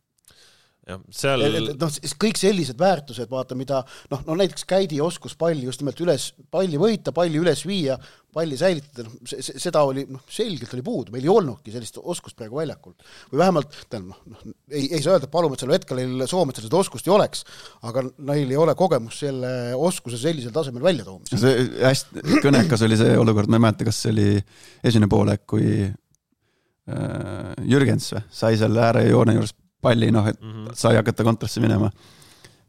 Ja, seal... et, et, noh, kõik sellised väärtused, vaata, mida noh, no näiteks Käidi oskus palli just nimelt üles, palli võita, palli üles viia, palli säilitada, noh, seda oli noh, selgelt oli puudu, meil ei olnudki sellist oskust praegu väljakul. Või vähemalt, noh, noh, ei, ei saa öelda, et paluma, et selle hetkel Soometsal seda oskust ei oleks, aga neil ei ole kogemus selle oskuse sellisel tasemel välja toomisel. See hästi kõnekas oli see olukord, ma ei mäleta, kas see oli esimene poolek, kui äh, Jürgens või, sai seal ääre joone juures palli, noh, et mm-hmm. sai hakata kontrasse minema.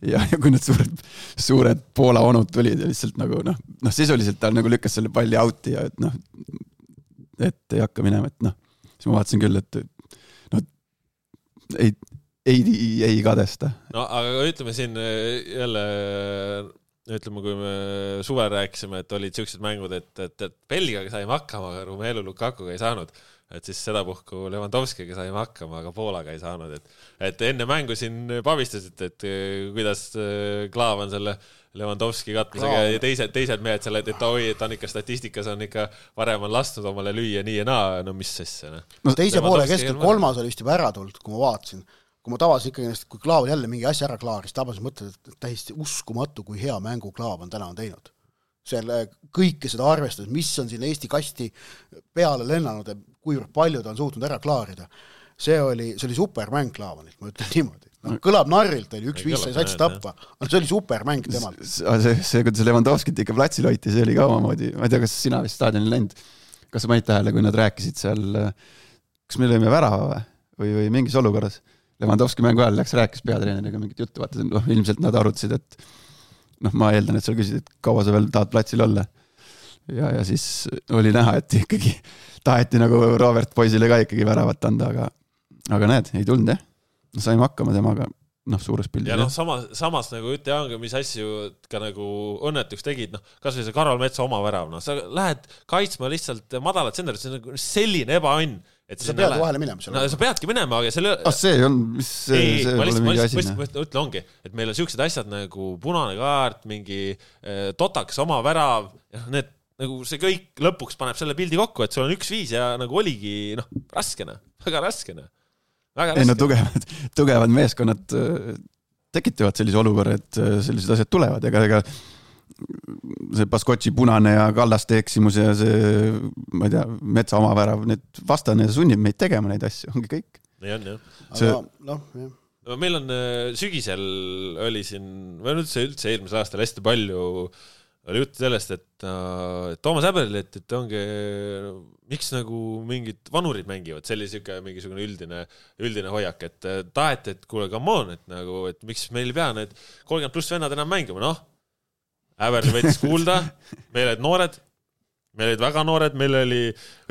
Ja, ja kui need suured, suured Poola onud tulid ja lihtsalt nagu, noh, noh, sisuliselt ta nagu lükkas selle palli outi ja et noh, et ei hakka minema, et noh, siis ma vaatasin küll, et noh, ei, ei, ei kadesta. No, aga ütleme siin jälle, ütleme, kui me suvel rääkisime, et olid siuksed mängud, et, et, et Belgiaga saime hakkama, aga Romelu Lukakuga ei saanud. Et siis seda puhku Lewandowskiga saime hakkama, aga Poolaga ei saanud. Et, et enne mängu siin pavistasid, et kuidas Klaav on selle Lewandowski katmisega ja teised, teised mehed selle, et, et oi, et on ikka statistikas on ikka varem on lastnud omale lüüa nii ja naa, no mis sesse. No. No, teise poole keskel kolmas oli vist juba ära tulnud, kui ma vaatasin. Kui ma tavasin ikkagi, kui Klaav jälle mingi asja ära klaaris, tabasin mõtled, et täiesti uskumatu, kui hea mängu Klaav on täna on teinud. Selle kõike seda arvestades, mis on siin Eesti kasti peale lennanud ja kuivõrd palju ta on suutnud ära klaarida. See oli, see oli supermäng Klaavanilt, ma ütlen niimoodi. No, kõlab narrilt, oli üks viis sai satsi tappa, aga see oli supermäng temalt. See, see, kui see Lewandowskit ikka platsil hoiti, see oli ka omamoodi. Ma ei tea, kas sina vist staadionil läinud, kas sa panid tähele, kui nad rääkisid seal, kas me lõime värava või, või mingis olukorras. Lewandowski mängu ajal läks rääkis peatreeneriga mingit juttu, vaata, no, ilmselt nad arutasid, et noh, ma eeldan, et seal küsid, et kaua sa veel tahad platsil olla. Ja, ja siis oli näha, et ikkagi taheti nagu Robert poisile ka ikkagi väravat anda, aga, aga näed, ei tulnud, jah. Saime hakkama temaga, noh, suures pildis. Ja noh, samas, samas nagu ütle Jaanga, mis asju ka nagu õnnetuks tegid, noh, kas või see Karol Metsa oma värav, noh, sa lähed kaitsma lihtsalt madalat sendrit, see on nagu selline ebaõnn. Et sa pead vahele minema no, sa peadki minema, aga selle... Ah, see on, mis see, ei, see ma lihtsalt, ma lihtsalt, ma ütlen ongi, et meil on siuksed asjad nagu punane kaart, mingi eh, totaks oma värav, ja need, nagu see kõik lõpuks paneb selle pildi kokku, et sul on üks viis ja nagu oligi, noh, raskene, väga raskene. Väga ei, no tugevad, tugevad meeskonnad tekitavad sellise olukorra, et sellised asjad tulevad, ega, ega see Baskotši punane ja Kallaste eksimus ja see, ma ei tea, Metsa oma värav, need vastane sunnib meid tegema neid asju, ongi kõik. Nii on, jah. See... Aga, noh, jah. Meil on sügisel oli siin, või üldse, üldse eelmisel aastal hästi palju oli jutt sellest, et äh, Toomas Häberli, et, et ongi, miks nagu mingid vanurid mängivad, see oli siuke mingisugune üldine, üldine hoiak, et taheti, et kuule, come on, et nagu, et miks meil ei pea need kolmkümmend pluss vennad enam mängima, noh, Häberli võttis kuulda, meil olid noored, meil olid väga noored, meil oli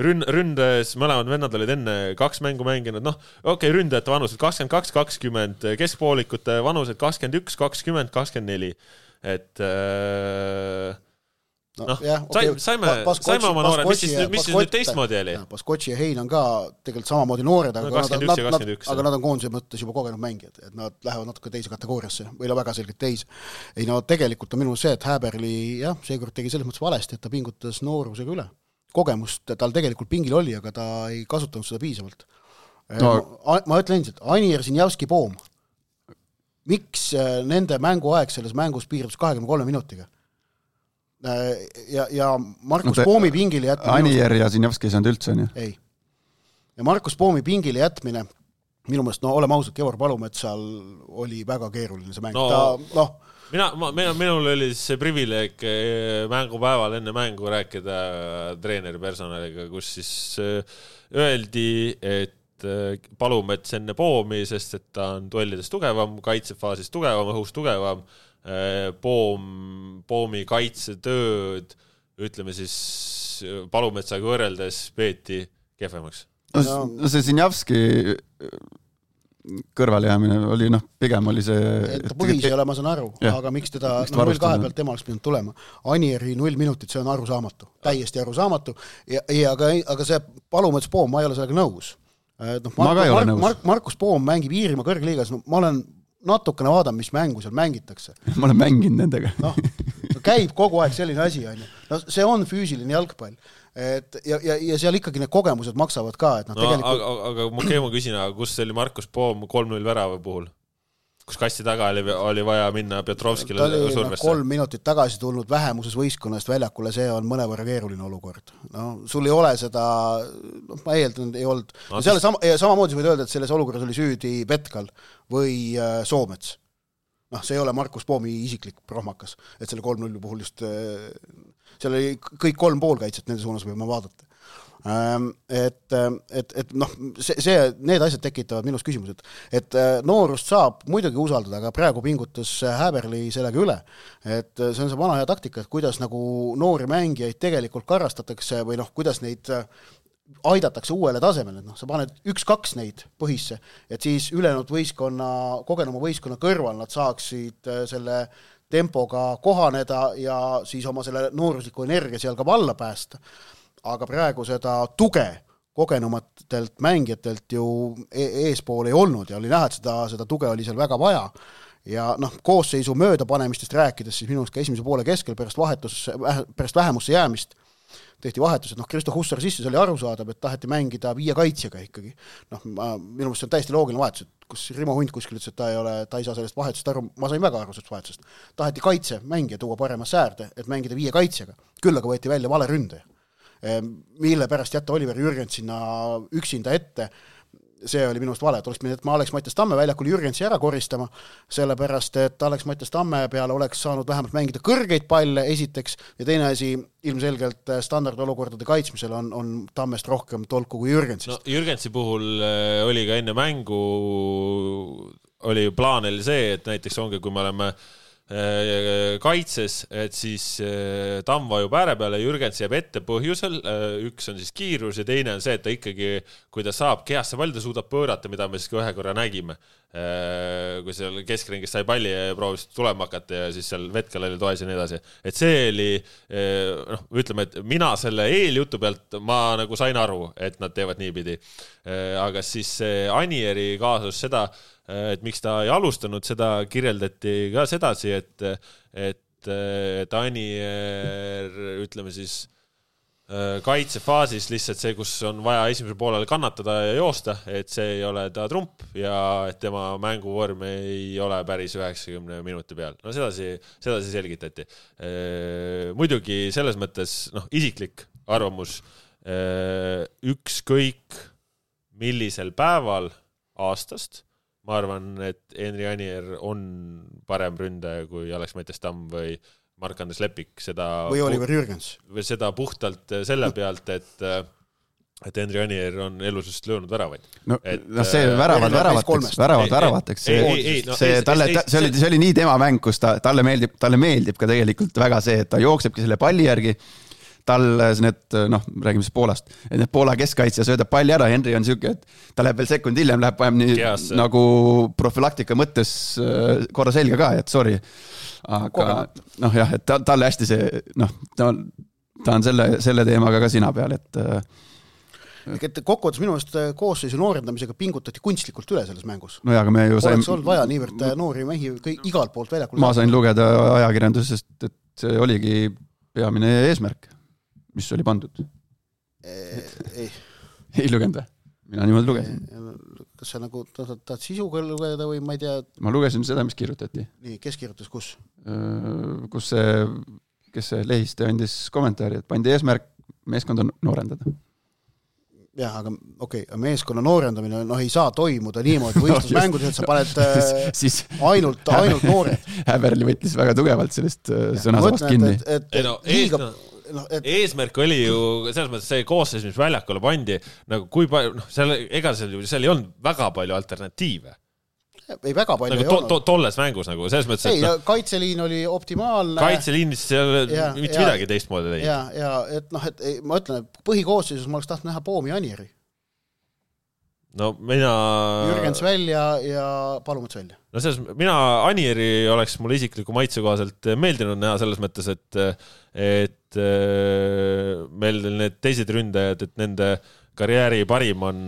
rünn, ründes, mõlemad vennad olid enne kaks mängu mänginud, noh, okei, okay, ründajate vanused kakskümmend kaks, kakskümmend, keskpoolikute vanused kakskümmend üks, kakskümmend, kakskümmend neli, et äh, no, noh, jah, okay. saime, Paskotši, saime oma noored, mis siis, mis siis nüüd teistmoodi oli? Paskotši ja Hein on ka tegelikult samamoodi noored, aga, no, nad, nad, nad, aga nad on koondise mõttes juba kogenud mängijad, et nad lähevad natuke teise kategooriasse, või no väga selgelt teise. Ei no tegelikult on minu see, et Häberli jah, seekord tegi selles mõttes valesti, et ta pingutas noorusega üle. Kogemust tal tegelikult pingil oli, aga ta ei kasutanud seda piisavalt. No. Ma, ma ütlen endiselt, Anir Sinjavski Poom. Miks nende mänguaeg selles mängus piirabs kahekümne kolme minutiga? Ja, ja Markus no Poomi pingile jätmine... Anier ja Sinjavski ei saanud üldse, on ju? Ei. Ja Markus Poomi pingile jätmine, minu mõelest, no oleme ausad, Kevor Palumetsal oli väga keeruline see mäng. No, ta, no, mina, ma, minul oli see privileeg mängupäeval enne mängu rääkida treeneri personaliga, kus siis öeldi, et Palumets enne Poomi, sest et ta on duellides tugevam, kaitsefaasis tugevam, õhus tugevam, Poom, Poomi kaitsetööd, ütleme siis Palumetsaga võrreldes peeti kehvemaks. No, no see Sinjavski kõrvalejäämine oli, noh, pigem oli see... Et ta põhis ei ole, ma saan aru, ja. Aga miks teda no, null kahe pealt tema oleks pidanud tulema. Anieri null minutit, see on arusaamatu, täiesti arusaamatu, ja, ja aga, aga see Palumets Poom, ma ei ole sellega nõus. No, Mark, Mark, Mark, Markus Poom mängib Iirimaa kõrgliigas, no, ma olen natukene vaadanud, mis mängu seal mängitakse. Ma olen mänginud nendega. No, no käib kogu aeg selline asi, on ju. No, see on füüsiline jalgpall. Et, ja, ja, ja seal ikkagi need kogemused maksavad ka. Et no, no, tegelikult... aga, aga ma käin ma küsin, aga kus oli Markus Poom kolm null värava puhul? Kus kasti taga oli, oli vaja minna Petrovskile survesse? No, kolm minutit tagasi tulnud vähemuses võistkonnast väljakule, see on mõnevõrra keeruline olukord. No, sul ei ole seda, no, ma eeldan, ei olnud. No, seal sama, samamoodi võid öelda, et selles olukorras oli süüdi Petkal või äh, Soomets. Noh, see ei ole Markus Poomi isiklik prohmakas, et selle kolm null puhul just, äh, seal oli kõik kolm poolkaitset, nende suunas võime vaadata. Et, et, et noh, see, see, need asjad tekitavad minus küsimused, et noorust saab muidugi usaldada, aga praegu pingutas Häberli sellega üle, et see on see vana hea taktika, et kuidas nagu noori mängijaid tegelikult karastatakse või noh, kuidas neid aidatakse uuele tasemele, noh, sa paned üks-kaks neid põhisse, et siis ülejäänud võistkonna, kogenuma võistkonna kõrval nad saaksid selle tempoga kohaneda ja siis oma selle noorusliku energia seal ka valla päästa. Aga praegu seda tuge kogenumatelt mängijatelt ju eespool ei olnud ja oli näha, et seda, seda tuge oli seal väga vaja. Ja noh, koosseisu möödapanemistest rääkides, siis minust ka esimese poole keskel pärast, vahetus, pärast vähemusse jäämist tehti vahetus, et noh, Kristo Hussar sisse, see oli aru saadab, et taheti mängida viie kaitsjaga ikkagi. Noh, ma, minu mõelest see on täiesti loogiline vahetus, et kus Rimo Hunt kuskil ütles, et ta ei ole, ta ei saa sellest vahetusest aru, ma sain väga aru sellest vahetusest. Taheti kaitse mängija tuua parema säärde, et mängida viie kaitsjaga. Küll aga võeti välja vale ründaja, mille pärast jätta Oliver Jürgens sinna üksinda ette, see oli minust vale, et oleks pidanud, et ma Alex Mattias Tamme väljakul Jürgensi ära koristama, sellepärast, et Alex Mattias Tamme peale oleks saanud vähemalt mängida kõrgeid palle esiteks ja teine asi, ilmselgelt standardolukordade kaitsmisel on, on Tammest rohkem tolku kui Jürgensist. No, Jürgensi puhul oli ka enne mängu, oli plaanil see, et näiteks ongi, kui me oleme kaitses, et siis Tamm vajub ääre peale, Jürgens jääb ette põhjusel, üks on siis kiirus ja teine on see, et ta ikkagi, kui ta saab kehasse palli, ta suudab pöörata, mida me siis ka ühe korra nägime, kui seal keskringis sai palli ja proovis tulema hakata ja siis seal Vetkal oli toes ja nii edasi. Et see oli, noh, ütleme, et mina selle eeljutu pealt ma nagu sain aru, et nad teevad niipidi. Aga siis Anieri kaasus seda, et miks ta ei alustanud, seda kirjeldati ka sedasi, et, et, et Anier, ütleme siis, kaitsefaasis lihtsalt see, kus on vaja esimesel poolel kannatada ja joosta, et see ei ole ta trump ja et tema mänguvorm ei ole päris üheksakümne minuti peal. No sedasi, sedasi selgitati. Muidugi selles mõttes, noh, isiklik arvamus, ükskõik millisel päeval aastast, ma arvan, et Henri Anier on parem ründaja kui Alex Mattias Tamm või Mark-Andres Lepik seda või Oliver Jürgens või seda puhtalt selle pealt, et et Henri Anier on elus just löönud väravaid. No, et, no see väravad väravateks, väravad väravateks, see, ei, ei, no, see, talle, ta, see, oli, see oli nii tema mäng, kus ta, talle meeldib, talle meeldib ka tegelikult väga see, et ta jooksebki selle palli järgi, tal need, noh, räägime siis Poolast, et need Poola keskkaitsja söödab palli ära, Henri on siuke, et ta läheb veel sekund hiljem, läheb vajem nii Keas, nagu profülaktika mõttes korra selga ka, et sorry, aga noh jah, et ta, talle hästi see, noh, ta, ta on selle, selle teemaga ka sina peal, et et kokkuvõttes minu meelest koosseisu noorendamisega pingutati kunstlikult üle selles mängus. No ja, aga me ju sain... Oleks olnud vaja niivõrd noori mehi kõik igalt poolt väljakul. Ma sain lugeda ajakirjandusest, et see oligi peamine eesmärk, mis oli pandud. Ei, ei lugenud või? Mina niimoodi lugesin. Kas sa nagu tahad sisuga lugeda või ma ei tea? Ma lugesin seda, mis kirjutati. Nii, kes kirjutas, kus? Kus see, kes see Lehiste andis kommentaari, et pandi eesmärk meeskonda noorendada. Jah, aga okei, okay, meeskonna noorendamine noh, ei saa toimuda niimoodi võistlusmängudes, et sa paned siis ainult, ainult noored. Häberli võttis väga tugevalt sellest sõnasabast kinni. Et, et, ei, no, liiga, ees, no, et... eesmärk oli ju selles mõttes see koosseis, mis väljakule pandi, nagu kui palju, noh, seal, ega seal, seal ei olnud väga palju alternatiive. Ei väga palju nagu ei to, olnud. To, tolles mängus nagu, selles mõttes, et... Ei, no, kaitseliin oli optimaalne. Kaitseliinis ei ole mitte midagi teistmoodi teinud. Ja, ja, et noh, et ei, ma ütlen, et põhikoosseisus ma oleks tahtnud näha Poomi Anieri. No mina... Jürgens välja ja Palumets välja. No selles, mina Anieri oleks mulle isikliku maitse kohaselt meeldinud näha selles mõttes, et, et meil need teised ründajad, et nende karjääri parim on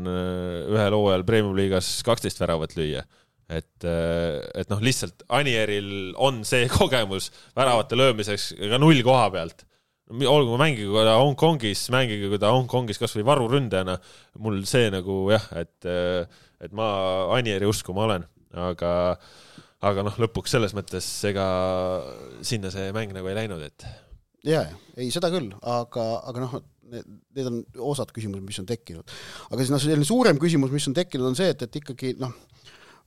ühel hooajal Premium-liigas kaksteist väravat lüüa. Et, et noh, lihtsalt Anieril on see kogemus väravate löömiseks ka null koha pealt. Olgu ma mängige, kui ta Hongkongis, mängige, kui ta Hongkongis kas või varuründajana, mul see nagu jah, et, et ma Anieri usku ma olen, aga, aga noh, lõpuks selles mõttes ega sinna see mäng nagu ei läinud, et... Jaa, ei seda küll, aga, aga noh, need on osad küsimused, mis on tekkinud. Aga siis no, selline suurem küsimus, mis on tekkinud, on see, et, et ikkagi noh,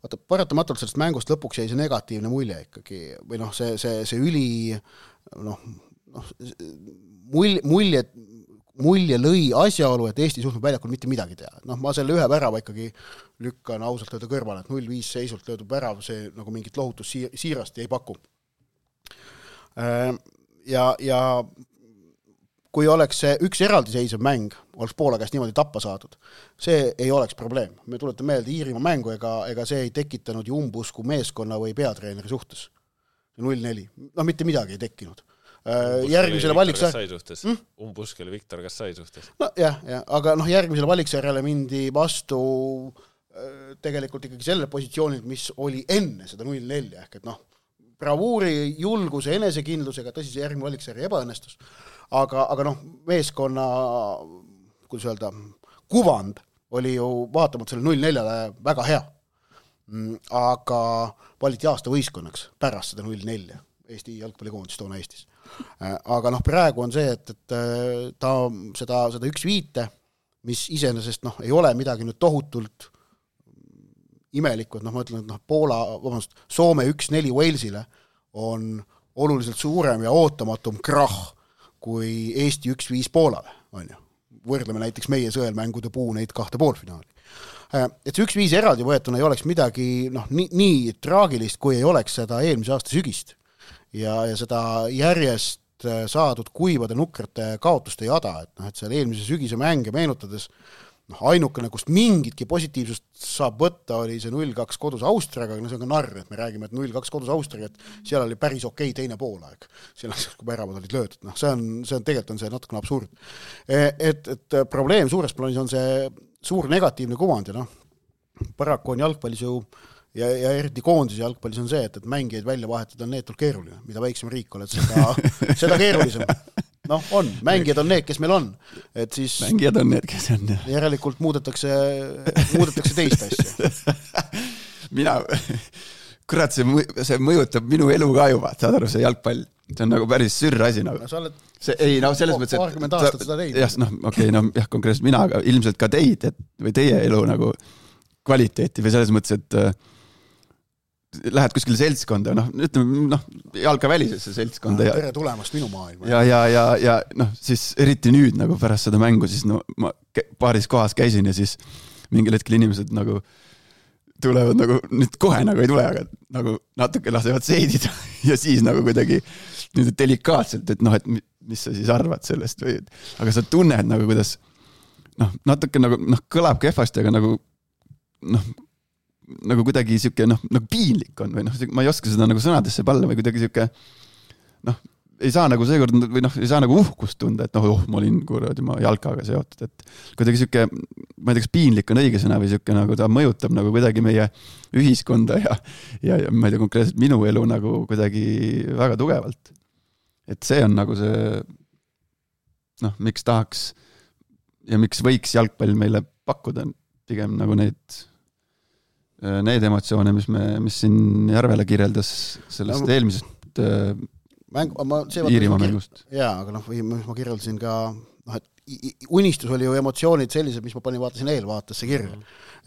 vaata, paratamatult sellest mängust lõpuks jäi see negatiivne mulje ikkagi, või noh, see, see, see üli noh, noh mulje, mulje, mulje lõi asjaolu, et Eesti suhtnud väljakul mitte midagi teha. Noh, ma selle ühe värava ikkagi lükkan ausalt öelda kõrvale, et null viis seisult löödub värav, see nagu mingit lohutus siirast ei paku. Ja, ja kui oleks see üks eraldiseisev mäng, oleks Poola käest niimoodi tappa saadud, see ei oleks probleem. Me tuletan meelde Iirimaa mängu, ega, ega see ei tekitanud ju umbusku meeskonna või peatreeneri suhtes. null neli. No mitte midagi ei tekkinud. Umbusk järgmisele valiksar... hmm? Umbusk oli Viktor Kassai suhtes. No jah, jah, aga noh, järgmisele valiksarjale mindi vastu tegelikult ikkagi selle positsioonil, mis oli enne seda null neli, ehk et noh, bravuuri, julguse, enesekindlusega, tõsi see järgmine valiksarja ebaõnnestus, aga, aga noh, meeskonna, kuidas öelda, kuvand oli ju vaatamata selle null neljale väga hea. Aga valiti aasta võistkonnaks pärast seda null neli Eesti jalgpallikoondis toona Eestis. Aga noh, praegu on see, et, et ta seda, seda üks viite, mis iseenesest noh, ei ole midagi nüüd tohutult imelikku, et noh, ma ütlen, et noh, Poola, vabandust, Soome üks neli Walesile on oluliselt suurem ja ootamatum krah kui Eesti üks viis Poolale, on ju. Võrdleme näiteks meie sõelmängude puu neid kahte poolfinaali. Et see üks viis eraldi võetuna ei oleks midagi noh, nii, nii traagilist, kui ei oleks seda eelmise aasta sügist ja, ja seda järjest saadud kuivade nukrate kaotuste jada, et, noh, et seal eelmise sügise mänge meenutades noh, ainukene, kust mingitki positiivsust saab võtta, oli see null kaks kodus Austriaga, aga no see on ka narr, et me räägime, et null kaks kodus Austriaga, et seal oli päris okei teine poolaeg. Seal on, kui päravad olid löödud. No, see on, see on tegelikult on see natukene absurd. Et, et probleem suures plaanis on see suur negatiivne kuvand ja noh, paraku on jalgpallis ju ja, ja eriti koondis jalgpallis on see, et, et mängijaid välja vahetada on neetult keeruline. Mida väiksem riik oled, seda, seda keerulisem. Noh, on. Mängijad on need, kes meil on. Et siis mängijad on need, kes on. Järelikult muudetakse, muudetakse teist asja. Mina, kurat, see, see mõjutab minu elu ka juba, saad aru, see jalgpall. See on nagu päris sürr asi. Nagu. No, sa oled see, ei, no, selles mõttes, paarkümmend aastat seda teid. Jah, noh, okei, okay, no, jah, konkreetselt mina, aga ilmselt ka teid, et, või teie elu nagu kvaliteeti või selles mõttes, et lähed kuskile seltskonda, noh, ütleme, noh, jalkavälisesse seltskonda. Ja, tere tulemast minu maailma. Ja, ja, ja, ja noh, siis eriti nüüd nagu pärast seda mängu, siis no ma paaris kohas käisin ja siis mingil hetkel inimesed nagu tulevad nagu, nüüd kohe nagu ei tule, aga nagu natuke lasevad seedida ja siis nagu kuidagi nüüd delikaatselt, et noh, et mis sa siis arvad sellest või, aga sa tunned nagu, kuidas noh, natuke nagu, noh, kõlab kehvasti, aga nagu noh, nagu kuidagi siuke, noh, nagu piinlik on või noh, ma ei oska seda nagu sõnadesse palla või kuidagi siuke, noh, ei saa nagu seekord või noh, ei saa nagu uhkust tunda, et noh, oh, ma olin kuradi ma jalkaga seotud, et kuidagi siuke, ma ei tea, kas piinlik on õige sõna või siuke nagu ta mõjutab nagu kuidagi meie ühiskonda ja, ja, ja ma ei tea, konkreetselt minu elu nagu kuidagi väga tugevalt. Et see on nagu see, noh, miks tahaks ja miks võiks jalgpall meile pakkuda pigem nagu neid need emotsioone, mis me, mis siin Järvele kirjeldas sellest no, eelmisest mäng, ma, see Iirimaa mängust. Jaa, aga noh, või ma kirjeldasin ka, noh, et unistus oli ju emotsioonid sellised, mis ma panin vaatasin eelvaatesse kirja.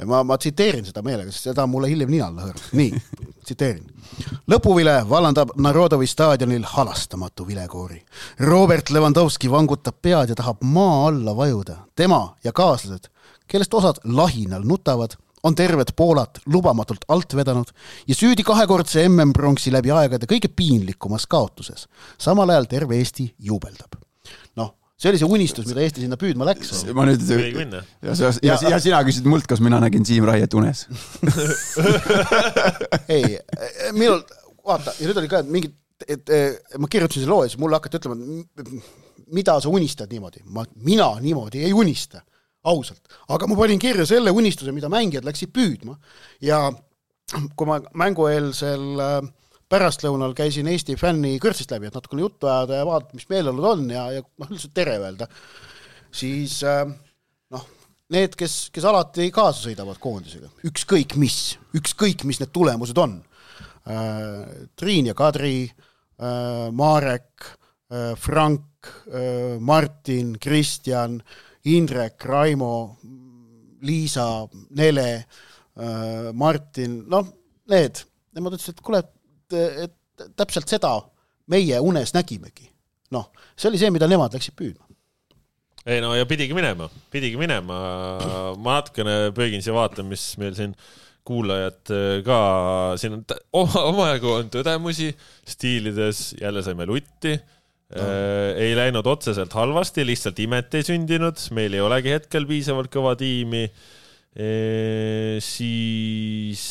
Ma, ma tsiteerin seda meelega, sest seda mulle hiljem ninalla hõõrab. Nii, tsiteerin. Lõpuvile vallandab Narodovi staadionil halastamatu vilekoori. Robert Lewandowski vangutab pead ja tahab maa alla vajuda. Tema ja kaaslased, kellest osad lahinal nutavad, on terved Poolat lubamatult alt vedanud ja süüdi kahekordse M M-pronksi läbi aegade kõige piinlikumas kaotuses. Samal ajal terve Eesti juubeldab. Noh, see oli see unistus, mida Eesti sinna püüdma läks. Ma nüüd, ja, ja, ja, ja sina küsid mult, kas mina nägin Siim Raiet unes. Ei, minul, vaata, ja nüüd oli ka mingi, et, et ma kirjutasin see loo ja siis mulle hakati ütlema, mida sa unistad niimoodi. Ma, mina niimoodi ei unista. Ausalt. Aga ma panin kirja selle unistuse, mida mängijad läksid püüdma. Ja kui ma mängueelsel pärastlõunal käisin Eesti fänni kõrtsist läbi, et natukene juttu ajada ja vaadata, mis meeleolud on ja, ja noh, üldse tere öelda, siis noh, need, kes, kes alati kaasa sõidavad koondisega, ükskõik mis, ükskõik mis need tulemused on. Triin ja Kadri, Marek, Frank, Martin, Kristjan, Indrek, Raimo, Liisa, Nele, Martin, noh, need. Nemad ütlesid, et kuule, et, et täpselt seda meie unes nägimegi. Noh, see oli see, mida nemad läksid püüdma. Ei no ja pidigi minema, pidigi minema. Ma natukene pöögin siia vaatan, mis meil siin kuulajad ka, siin on omajagu on tõdemusi, stiilides jälle saime lutti. No. Ei läinud otseselt halvasti, lihtsalt imet ei sündinud, meil ei olegi hetkel piisavalt kõva tiimi, e, siis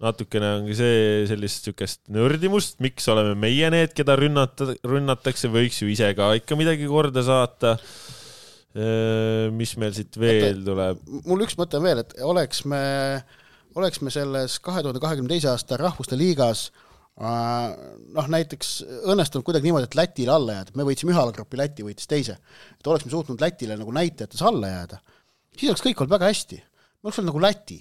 natukene ongi see sellist sükest nördimust, miks oleme meie need, keda rünnata, rünnatakse, võiks ju ise ka ikka midagi korda saata, e, mis meil siit veel tuleb. Mul üks mõte veel, et oleks me, oleks me selles kahe tuhande kahekümne teise aasta rahvuste liigas noh, näiteks õnnestunud kuidagi niimoodi, et Lätile alla jääda. Me võitsime ühe alagrupi, Läti võitis teise. Et oleks me suutnud Lätile nagu näitajates alla jääda. Siis oleks kõik olnud väga hästi. Me oleks olnud nagu Läti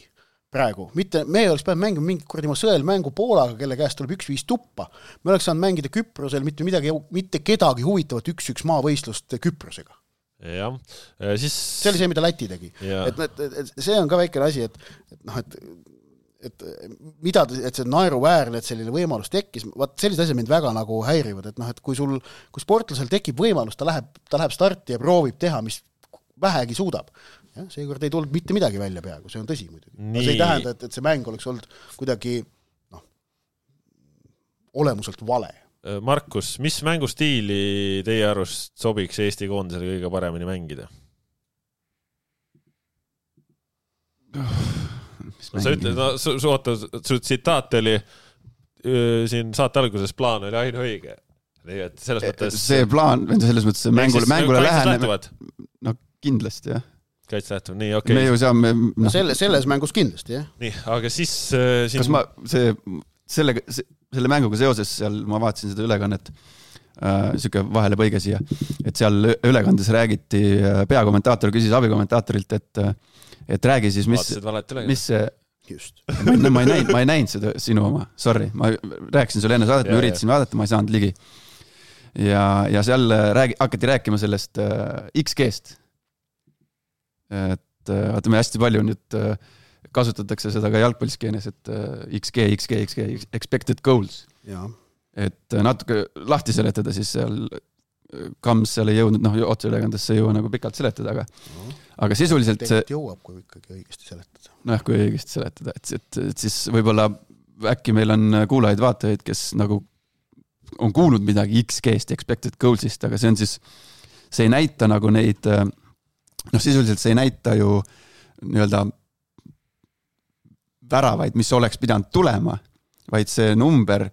praegu. Mitte, me oleks päev mängima mingi kuradi ma sõel mängu Poolaga, kelle käest tuleb üks viis tuppa. Me oleks saanud mängida Küprosel mitte, midagi, mitte kedagi huvitavat üks-üks maavõistlust Küprosega. Ja, siis... See oli see, mida Läti tegi. Et, et, et see on ka väikene asi, et, et, noh, et et mida, et see naeruväärne, et selline võimalus tekkis, vaat sellised asjad mind väga nagu häirivad, et noh, et kui sul, kui sportlasel tekib võimalus, ta läheb, ta läheb starti ja proovib teha, mis vähegi suudab. Ja, seekord ei tulnud mitte midagi välja peaaegu, see on tõsi muidugi. See ei tähenda, et, et see mäng oleks olnud kuidagi noh, olemuselt vale. Markus, mis mängustiili teie arust sobiks Eesti koondisele kõige paremini mängida? No, sa ütled, no, su, su, oota, su tsitaat oli öö, siin saate alguses plaan oli ainu õige. Nii, et selles mõttes... See plaan, selles mõttes mängule, mängule läheneb... No kindlasti, jah. Kaits lähtuvad, nii, okei. Okay. Me ju saame... No. Selle, selles mängus kindlasti, jah. Nii, aga siis... Äh, siin... Kas ma see, selle, selle mänguga seoses seal, ma vaatasin seda ülekannet, äh, siuke vahele põige siia, et seal ülekandes räägiti, peakommentaator küsis abikommentaatorilt, et et räägi siis, mis, mis see, just. ma, ma, ei näinud, ma ei näinud seda sinu oma, sorry, ma rääkisin sulle enne saadet, ma üritasin vaadata, ma ei saanud ligi. Ja, ja seal räägi, hakati rääkima sellest äh, X G-st. Et äh, vaata, me hästi palju nüüd äh, kasutatakse seda ka jalgpalliskeenes, et X G, X G, X G, expected goals. Ja. Et natuke lahti seletada, siis seal Kams seal ei jõudnud, noh, otseülekandesse ei jõua nagu pikalt seletada, aga, no, aga sisuliselt see... jõuab, kui ikkagi õigesti seletada. Noh, kui õigesti seletada, et, et, et siis võib-olla äkki meil on kuulajaid vaatajaid, kes nagu on kuulnud midagi X G-st, expected goalsist, aga see on siis, see ei näita nagu neid, noh, sisuliselt see ei näita ju nii-öelda väravaid, mis oleks pidanud tulema, vaid see number,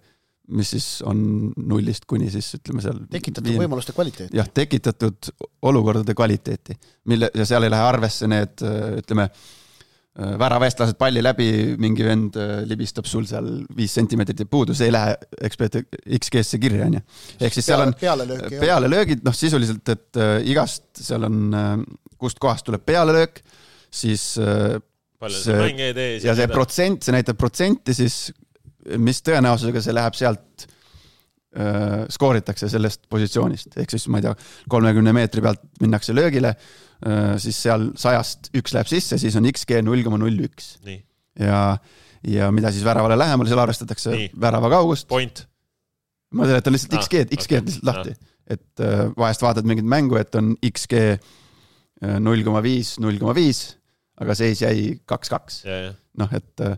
mis siis on nullist kuni siis ütleme seal tekitatud viin... võimaluste kvaliteeti. Jah, tekitatud olukordade kvaliteeti, mille, ja seal ei lähe arvesse need, ütleme, väravestlased palli läbi, mingi vend libistab sul seal viis sentimeetrit ja puudu, see ei lähe ekspert X G-sse kirja, on ju. Ehk siis seal on pealelöögi, pealelöögid, noh sisuliselt, et igast seal on, kust kohast tuleb pealelöök, siis palju see mänge ei tee. Ja see protsent, see näitab protsenti siis mis tõenäosusega see läheb sealt äh, skooritakse sellest positsioonist, ehk siis ma ei tea, kolmekümne meetri pealt minnakse löögile, äh, siis seal sajast üks läheb sisse, siis on X G null koma null üks. Ja, ja mida siis väravale lähemale, seal arvestatakse Nii. Värava kaugust. Point. Ma seletan lihtsalt ah, X G, X G okay. lihtsalt lahti. Ah. Et äh, vahest vaatad mingit mängu, et on X G null koma viis, null koma viis, aga seis jäi kaks kaks. Noh, et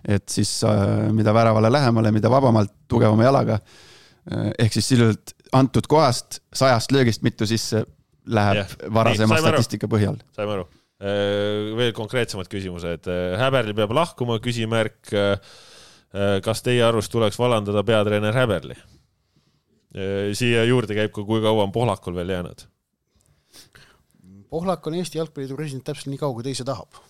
et siis mida väravale lähemale, mida vabamalt, tugevama jalaga, ehk siis sisuliselt antud kohast sajast löögist mitu sisse läheb yeah. varasema Nii, statistika põhjal. Saime aru. Veel konkreetsemad küsimused. Häberli peab lahkuma, küsimärk, kas teie arust tuleks vallandada peatreener Häberli? Siia juurde käib, kui kaua on Pohlakul veel jäänud? Pohlak on Eesti jalgpalliidu president täpselt nii kaua, kui teise tahab.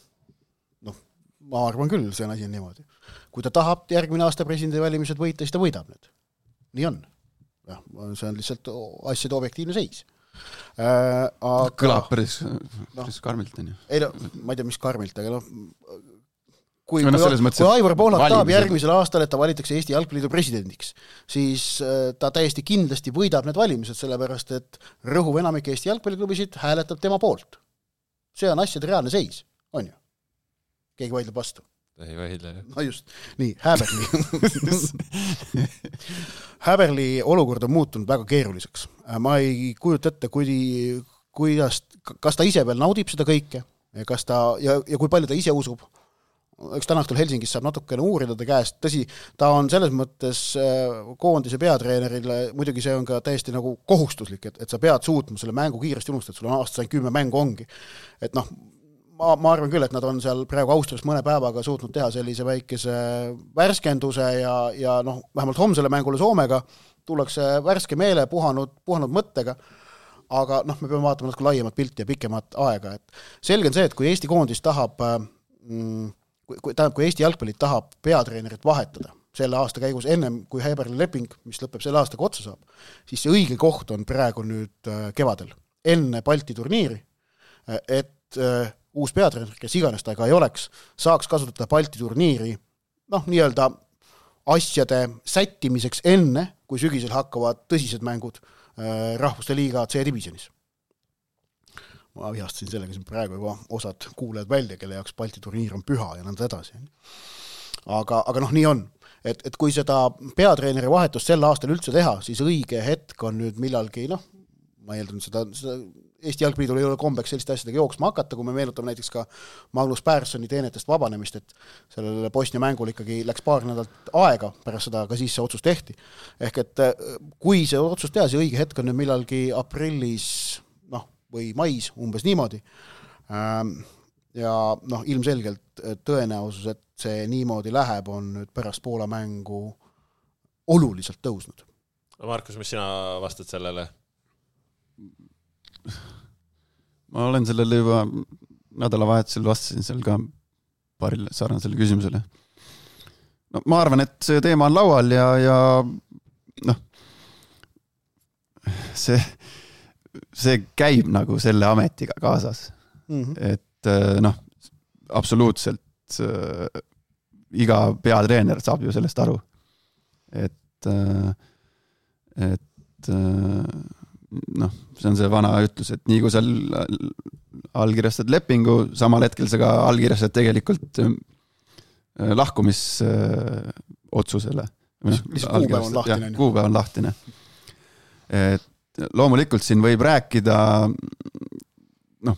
Ma arvan küll, see on asi niimoodi. Kui ta tahab järgmine aasta presidendi valimised võita, siis ta võidab need. Nii on. Ja, see on lihtsalt asjade objektiivne seis. Äh, aga... Kõlab päris, päris no, karmilt, on ju. Ei no, ma ei tea, mis karmilt, aga noh, kui, no, kui, kui Aivar Pohlak tahab järgmisel aastal, et ta valitakse Eesti jalgpalliidu presidendiks, siis ta täiesti kindlasti võidab need valimised, sellepärast, et rõhuv enamik Eesti jalgpalliklubisid hääletab tema poolt. See on asjade reaalne seis, on ju? Keegi vaidleb vastu. Ei vaidle, jah. No just. Nii, Häberli. Häberli olukord on muutunud väga keeruliseks. Ma ei kujuta ette, kui, kuidas, kas ta ise veel naudib seda kõike ja, kas ta, ja, ja kui palju ta ise usub. Eks täna õhtul Helsingis saab natukene uurida ta käest. Tõsi, ta on selles mõttes koondise peatreenerile, muidugi see on ka täiesti nagu kohustuslik, et, et sa pead suutma selle mängu kiiresti unustada, et sul on aastas kümme mängu ongi. Et noh, Ma, ma arvan küll, et nad on seal praegu Austrias mõne päevaga suutnud teha sellise väikese värskenduse ja, ja noh, vähemalt homsele mängule Soomega tullakse värske meele puhanud, puhanud mõttega, aga noh, me peame vaatama natuke laiemat pilti ja pikemat aega. Et selge on see, et kui Eesti koondis tahab, mm, kui, kui, tähendab, kui Eesti jalgpallit tahab peatreenerit vahetada selle aasta käigus ennem kui Häberli leping, mis lõpeb selle aastaga otsa saab, siis see õige koht on praegu nüüd kevadel, enne Balti turniiri, et uus peatreener, kes iganes ta ega ei oleks, saaks kasutada Balti turniiri noh, nii-öelda asjade sättimiseks enne, kui sügisel hakkavad tõsised mängud äh, Rahvuste Liiga C-divisionis. Ma vihastasin sellega siin praegu juba osad kuulajad välja, kelle jaoks Balti turniir on püha ja nõnda edasi. Aga, aga noh, nii on. Et, et kui seda peatreeneri vahetust sel aastal üldse teha, siis õige hetk on nüüd millalgi, noh, ma eeldan seda, seda Eesti jalgpalliidul ei ole kombeks selliste asjadega jooksma hakata, kui me meenutame näiteks ka Magnus Pärssoni teenetest vabanemist, et sellele Bosnia mängul ikkagi läks paar nädalat aega, pärast seda ka siis see otsus tehti. Ehk et kui see otsus teha, see õige hetk on nüüd millalgi aprillis noh, või mais, umbes niimoodi. Ja noh, ilmselgelt tõenäosus, et see niimoodi läheb, on nüüd pärast Poola mängu oluliselt tõusnud. Markus, mis sina vastad sellele? Ma olen sellele juba nädalavahetusel vastasin seal ka paaril sarnasele küsimusele. No, ma arvan, et see teema on laual ja, ja noh, see, see käib nagu selle ametiga kaasas. Mm-hmm. Et noh, absoluutselt äh, iga peatreener saab ju sellest aru. Et, äh, et äh, noh, see on see vana ütlus, et nii kui sa allkirjastad lepingu, samal hetkel sa ka allkirjastad tegelikult lahkumisotsusele. Kuupäev on lahtine. Kuupäev on lahtine. Et loomulikult siin võib rääkida noh,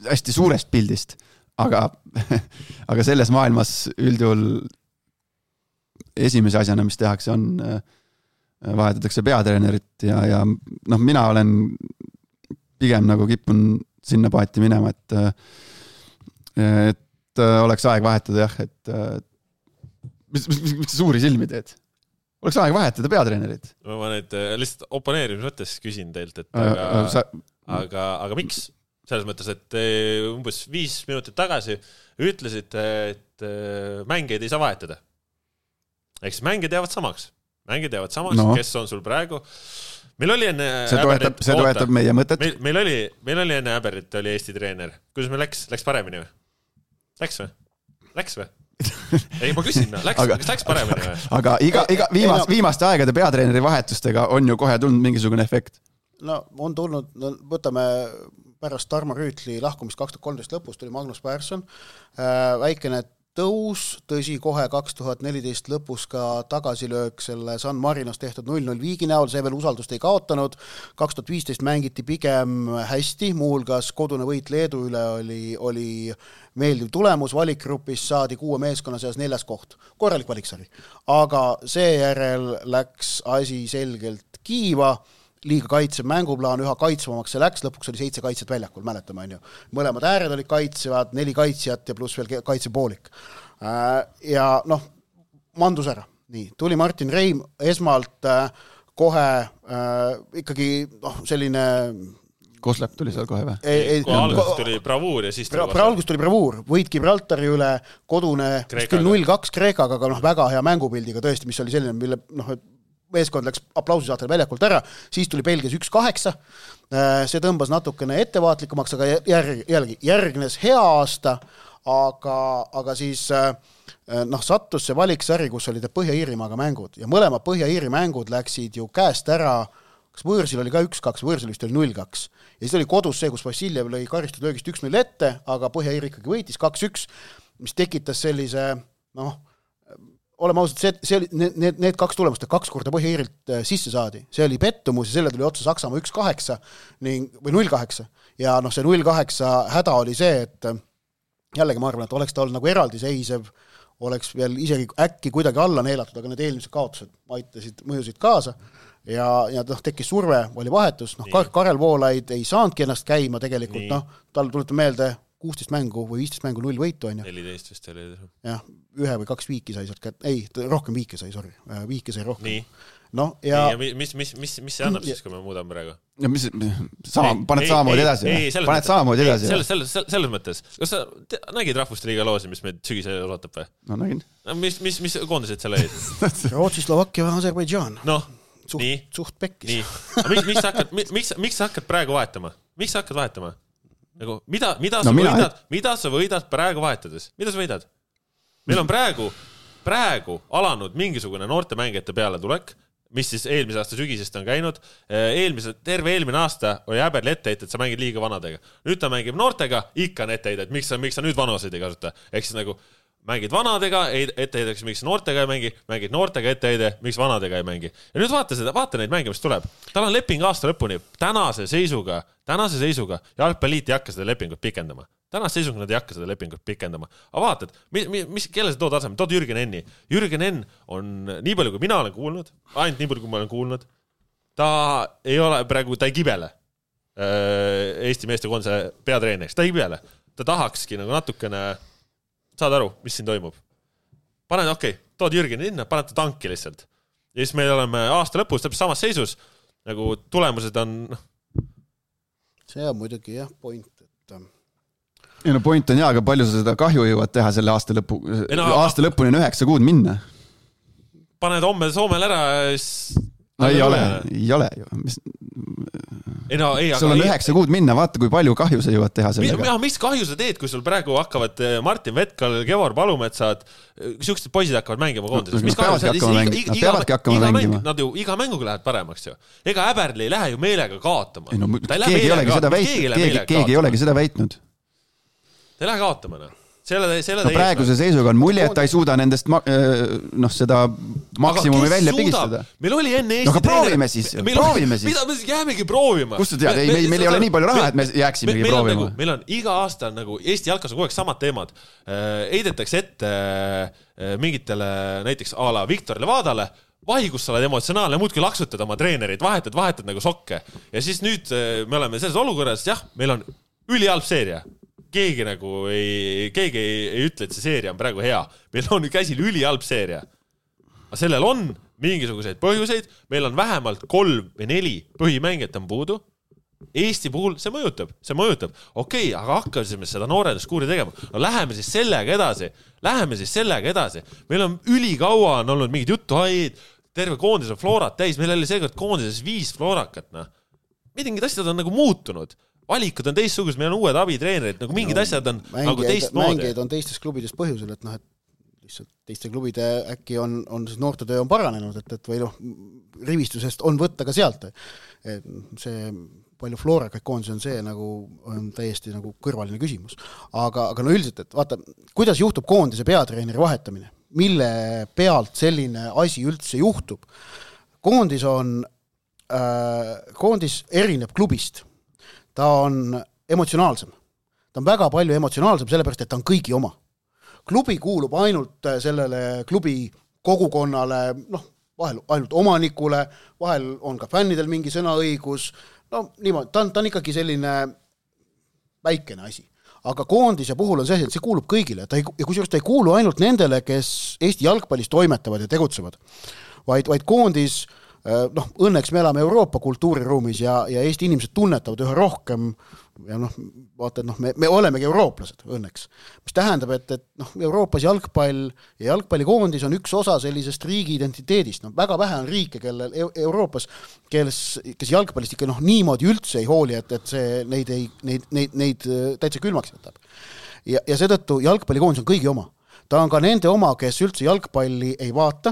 hästi suurest pildist, aga, aga selles maailmas üldjuhul esimese asjana, mis tehakse, on vahetatakse peatreenerit ja, ja noh, mina olen pigem nagu kippun sinna paati minema, et, et oleks aeg vahetada jah, et mis, mis, mis suuri silmi teed? Oleks aeg vahetada peatreenerit. Ma nüüd lihtsalt oponeerimise mõttes küsin teilt, et aga, sa... aga, aga miks? Selles mõttes, et umbes viis minutit tagasi ütlesite, et mängeid ei saa vahetada. Ehk siis mängid jäävad samaks. Mängid jäävad samaks, no. Kes on sul praegu. Meil oli enne... See toetab, see toetab meie mõtet. Meil, meil, oli, meil oli enne Äberit oli Eesti treener. Kuidas meil läks? Läks paremini või? Läks või? Läks või? Ei, ma küsin, läks, aga, kas läks paremini või? Aga iga, iga viimast, viimaste aegade peatreeneri vahetustega on ju kohe tulnud mingisugune efekt. No on tulnud, no, võtame pärast Tarmo Rüütli lahkumist kaks tuhat kolmteist lõpus tuli Magnus Persson, väikene tõus, tõsi kohe kaks tuhat neliteist lõpus ka tagasilöök selle San Marinos tehtud null null viigi näol, see veel usaldust ei kaotanud, kaks tuhat viisteist mängiti pigem hästi, muuhulgas kodune võit Leedu üle oli, oli meeldiv tulemus, valikgrupis saadi kuue meeskonna seas neljas koht, korralik valiksari, aga seejärel läks asi selgelt kiiva, liiga kaitsev mänguplaan, üha kaitsvamaks see läks, lõpuks oli seitse kaitset väljakul, mäletame, on ju. Mõlemad ääred olid kaitsevad, neli kaitsjat ja pluss veel kaitsepoolik. Ja noh, mandus ära. Nii, tuli Martin Reim esmalt kohe ikkagi noh, selline... Koslepp tuli seal kohe või? Ei, ei, kui alguses tuli bravuur ja siis tuli pra, alguses tuli bravuur, võit Gibraltari üle, kodune null kaks Kreekaga, aga noh, väga hea mängupildiga tõesti, mis oli selline, mille noh, meeskond läks aplausi saatel väljakult ära, siis tuli Belgias üks kaheksa, see tõmbas natukene ettevaatlikumaks, aga järg, jällegi järgnes hea aasta, aga, aga siis noh, sattus see valiksari, kus olid Põhja-Iirimaaga mängud ja mõlema Põhja-Iiri mängud läksid ju käest ära, kas Võõrsil oli ka üks kaks, Võõrsil vist oli null kaks ja siis oli kodus see, kus Vassiljev lõi karistud löögist üks null ette, aga Põhja-Iiri ikkagi võitis kaks üks, mis tekitas sellise noh, oleme ausalt, see, see oli, need, need kaks tulemust, kaks korda Põhja-Iirilt sisse saadi. See oli pettumus ja selle tuli otsa Saksamaa üks kaheksa ning, või null kaheksa. Ja noh, see null kaheksa häda oli see, et jällegi ma arvan, et oleks ta olnud nagu eraldiseisev, oleks veel isegi äkki kuidagi alla neelatud, aga need eelmised kaotused aitasid, mõjusid kaasa ja, ja noh, tekkis surve, oli vahetus, noh, Karel Voolaid ei saanudki ennast käima tegelikult, noh, tal tuletab meelde kuusteist mängu või viisteist mängu null võitu on ju. neliteist vist oli. Jah, ühe või kaks viiki sai sealt kätte, ei, rohkem viiki sai, sorry, viiki sai rohkem. Nii. No, ja... Nii, ja mis, mis, mis, mis see annab siis, kui me muudame praegu? Ja mis, sama, paned samamoodi edasi? Ei, selles, paned samamoodi edasi selles, selles, selles mõttes. Kas sa te, nägid Rahvuste Liiga loosi, mis meid sügisel ootab või? No nägin. Mis, mis, mis koondised seal olid? Rootsi, Slovakkia ja Aserbaidžaan. Noh, suht, nii. Suht pekkis. Nii. Miks, miks, sa hakkad, miks, miks sa hakkad praegu vahetama? Miks sa hakkad vahetama? Nagu, mida, mida, no, sa mina... võidad, mida sa võidad praegu vahetades? Mida sa võidad? Meil on praegu, praegu alanud mingisugune noorte mängijate peale tulek, mis siis eelmise aasta sügisest on käinud. Eelmise, terve eelmine aasta oli Äberli etteheited, et sa mängid liiga vanadega. Nüüd ta mängib noortega, ikka on etteheited, miks sa, miks sa nüüd vanuseid ei kasuta. Ehk siis nagu mängid vanadega, etteheideks, miks noortega ei mängi, mängid noortega etteheide, miks vanadega ei mängi. Ja nüüd vaata seda, vaata neid mänge, mis tuleb. Tal on leping aasta lõpuni, tänase seisuga, tänase seisuga, jalgpalliit ei hakka seda lepingut pikendama. Tänase seisuga nad ei hakka seda lepingut pikendama. Aga vaatad, mis, mis, kelle sa tood asemel? Tood Jürgen Enni. Jürgen Enn on nii palju, kui mina olen kuulnud, ainult nii palju, kui ma olen kuulnud, ta ei ole praegu, ta ei kibele Eesti meeste koondise peatreeneriks, ta ei kibele. Ta tahakski nagu natukene saad aru, mis siin toimub. Paned, okei, okay, tood Jürgen Enni, paned ta tanki lihtsalt. Ja siis meil oleme aasta lõpus täpselt samas seisus, nagu tulemused on... See on muidugi jah, point, et ei no point on jaa, aga palju sa seda kahju jõuad teha selle aasta lõpu, no, aasta lõpuni on üheksa kuud minna. Paned homme Soomel ära no ei ole, ei ole ju. Mis... Ei no, ei, sul on ei... üheksa kuud minna, vaata kui palju kahju sa jõuad teha sellega. Mis, mis kahju sa teed, kui sul praegu hakkavad Martin Vetkal, Kevor Palumetsad, siuksed poisid hakkavad mängima koondises. No, nad peavadki hakkama mängima. Nad ju iga mänguga lähevad paremaks ju. Ega Äberli ei lähe ju meelega kaotama. Ei, no, keegi, ei olegi seda väit, keegi, keegi ei olegi seda väitnud. Ta ei lähe kaotama. No. Selle, selle no praeguse seisuga on mulje, et ta ei suuda nendest noh, seda maksimumi välja pigistada. Meil oli enne Eesti no, aga proovime siis, proovime siis. Mida me jäämegi proovima? Kust sa tead? Ei, meil, meil ei ole nii palju raha, et me jääksimegi meil proovima. Nagu, meil on iga aasta nagu Eesti jalkas on kogu aeg samad teemad. Eidetakse ette mingitele näiteks a la Viktor Levadale, vahi, kus sa oled emotsionaalne, muudki laksutad oma treenerid, vahetad, vahetad nagu sokke. Ja siis nüüd me oleme selles olukorras, jah, meil on ülihalb seeria. Keegi nagu ei, keegi ei, ei ütle, et see seeria on praegu hea. Meil on käsil ülihalb seeria. Aga sellel on mingisuguseid põhjuseid. Meil on vähemalt kolm või neli põhimängijat on puudu. Eesti puhul see mõjutab, see mõjutab. Okei, aga hakkasime seda noorenduskuuri tegema. No läheme siis sellega edasi. Läheme siis sellega edasi. Meil on ülikaua on olnud mingid jutuhaid, terve koondis on floorat täis. Meil oli seekord koondises viis floorakat. No. Mingid asjad on nagu muutunud. Valikud on teistsugused, meil on uued abitreenerid, nagu mingid no, asjad on mängijaid, nagu teistmoodi. Mängijaid on teistes klubidest põhjusel, et noh, et lihtsalt teiste klubide äkki on, on siis noortetöö on paranenud, et, et või noh, rivistusest on võtta ka sealt. Et see palju floorakaid koondisi on see nagu on täiesti nagu kõrvaline küsimus. Aga, aga no üldiselt, et vaata, kuidas juhtub koondise peatreeneri vahetamine? Mille pealt selline asi üldse juhtub? Koondis on, äh, koondis erineb klubist. Ta on emotsionaalsem. Ta on väga palju emotsionaalsem, sellepärast, et ta on kõigi oma. Klubi kuulub ainult sellele klubi kogukonnale, noh, vahel ainult omanikule, vahel on ka fännidel mingi sõnaõigus, no niimoodi, ta on, ta on ikkagi selline väikene asi. Aga koondise puhul on see, et see kuulub kõigile. Ta ei, ja kusjuures ta ei kuulu ainult nendele, kes Eesti jalgpallis toimetavad ja tegutsevad, vaid, vaid koondis noh, õnneks me elame Euroopa kultuuriruumis ja, ja Eesti inimesed tunnetavad üha rohkem ja noh, vaata, et noh, me, me olemegi eurooplased õnneks. Mis tähendab, et, et noh, Euroopas jalgpall ja jalgpallikoondis on üks osa sellisest riigi identiteedist. No, väga vähe on riike, kellel Euroopas, kes, kes jalgpallist ikka noh, niimoodi üldse ei hooli, et, et see neid, ei, neid, neid, neid täitsa külmaks jätab. Ja, ja seetõttu jalgpallikoondis on kõigi oma. Ta on ka nende oma, kes üldse jalgpalli ei vaata,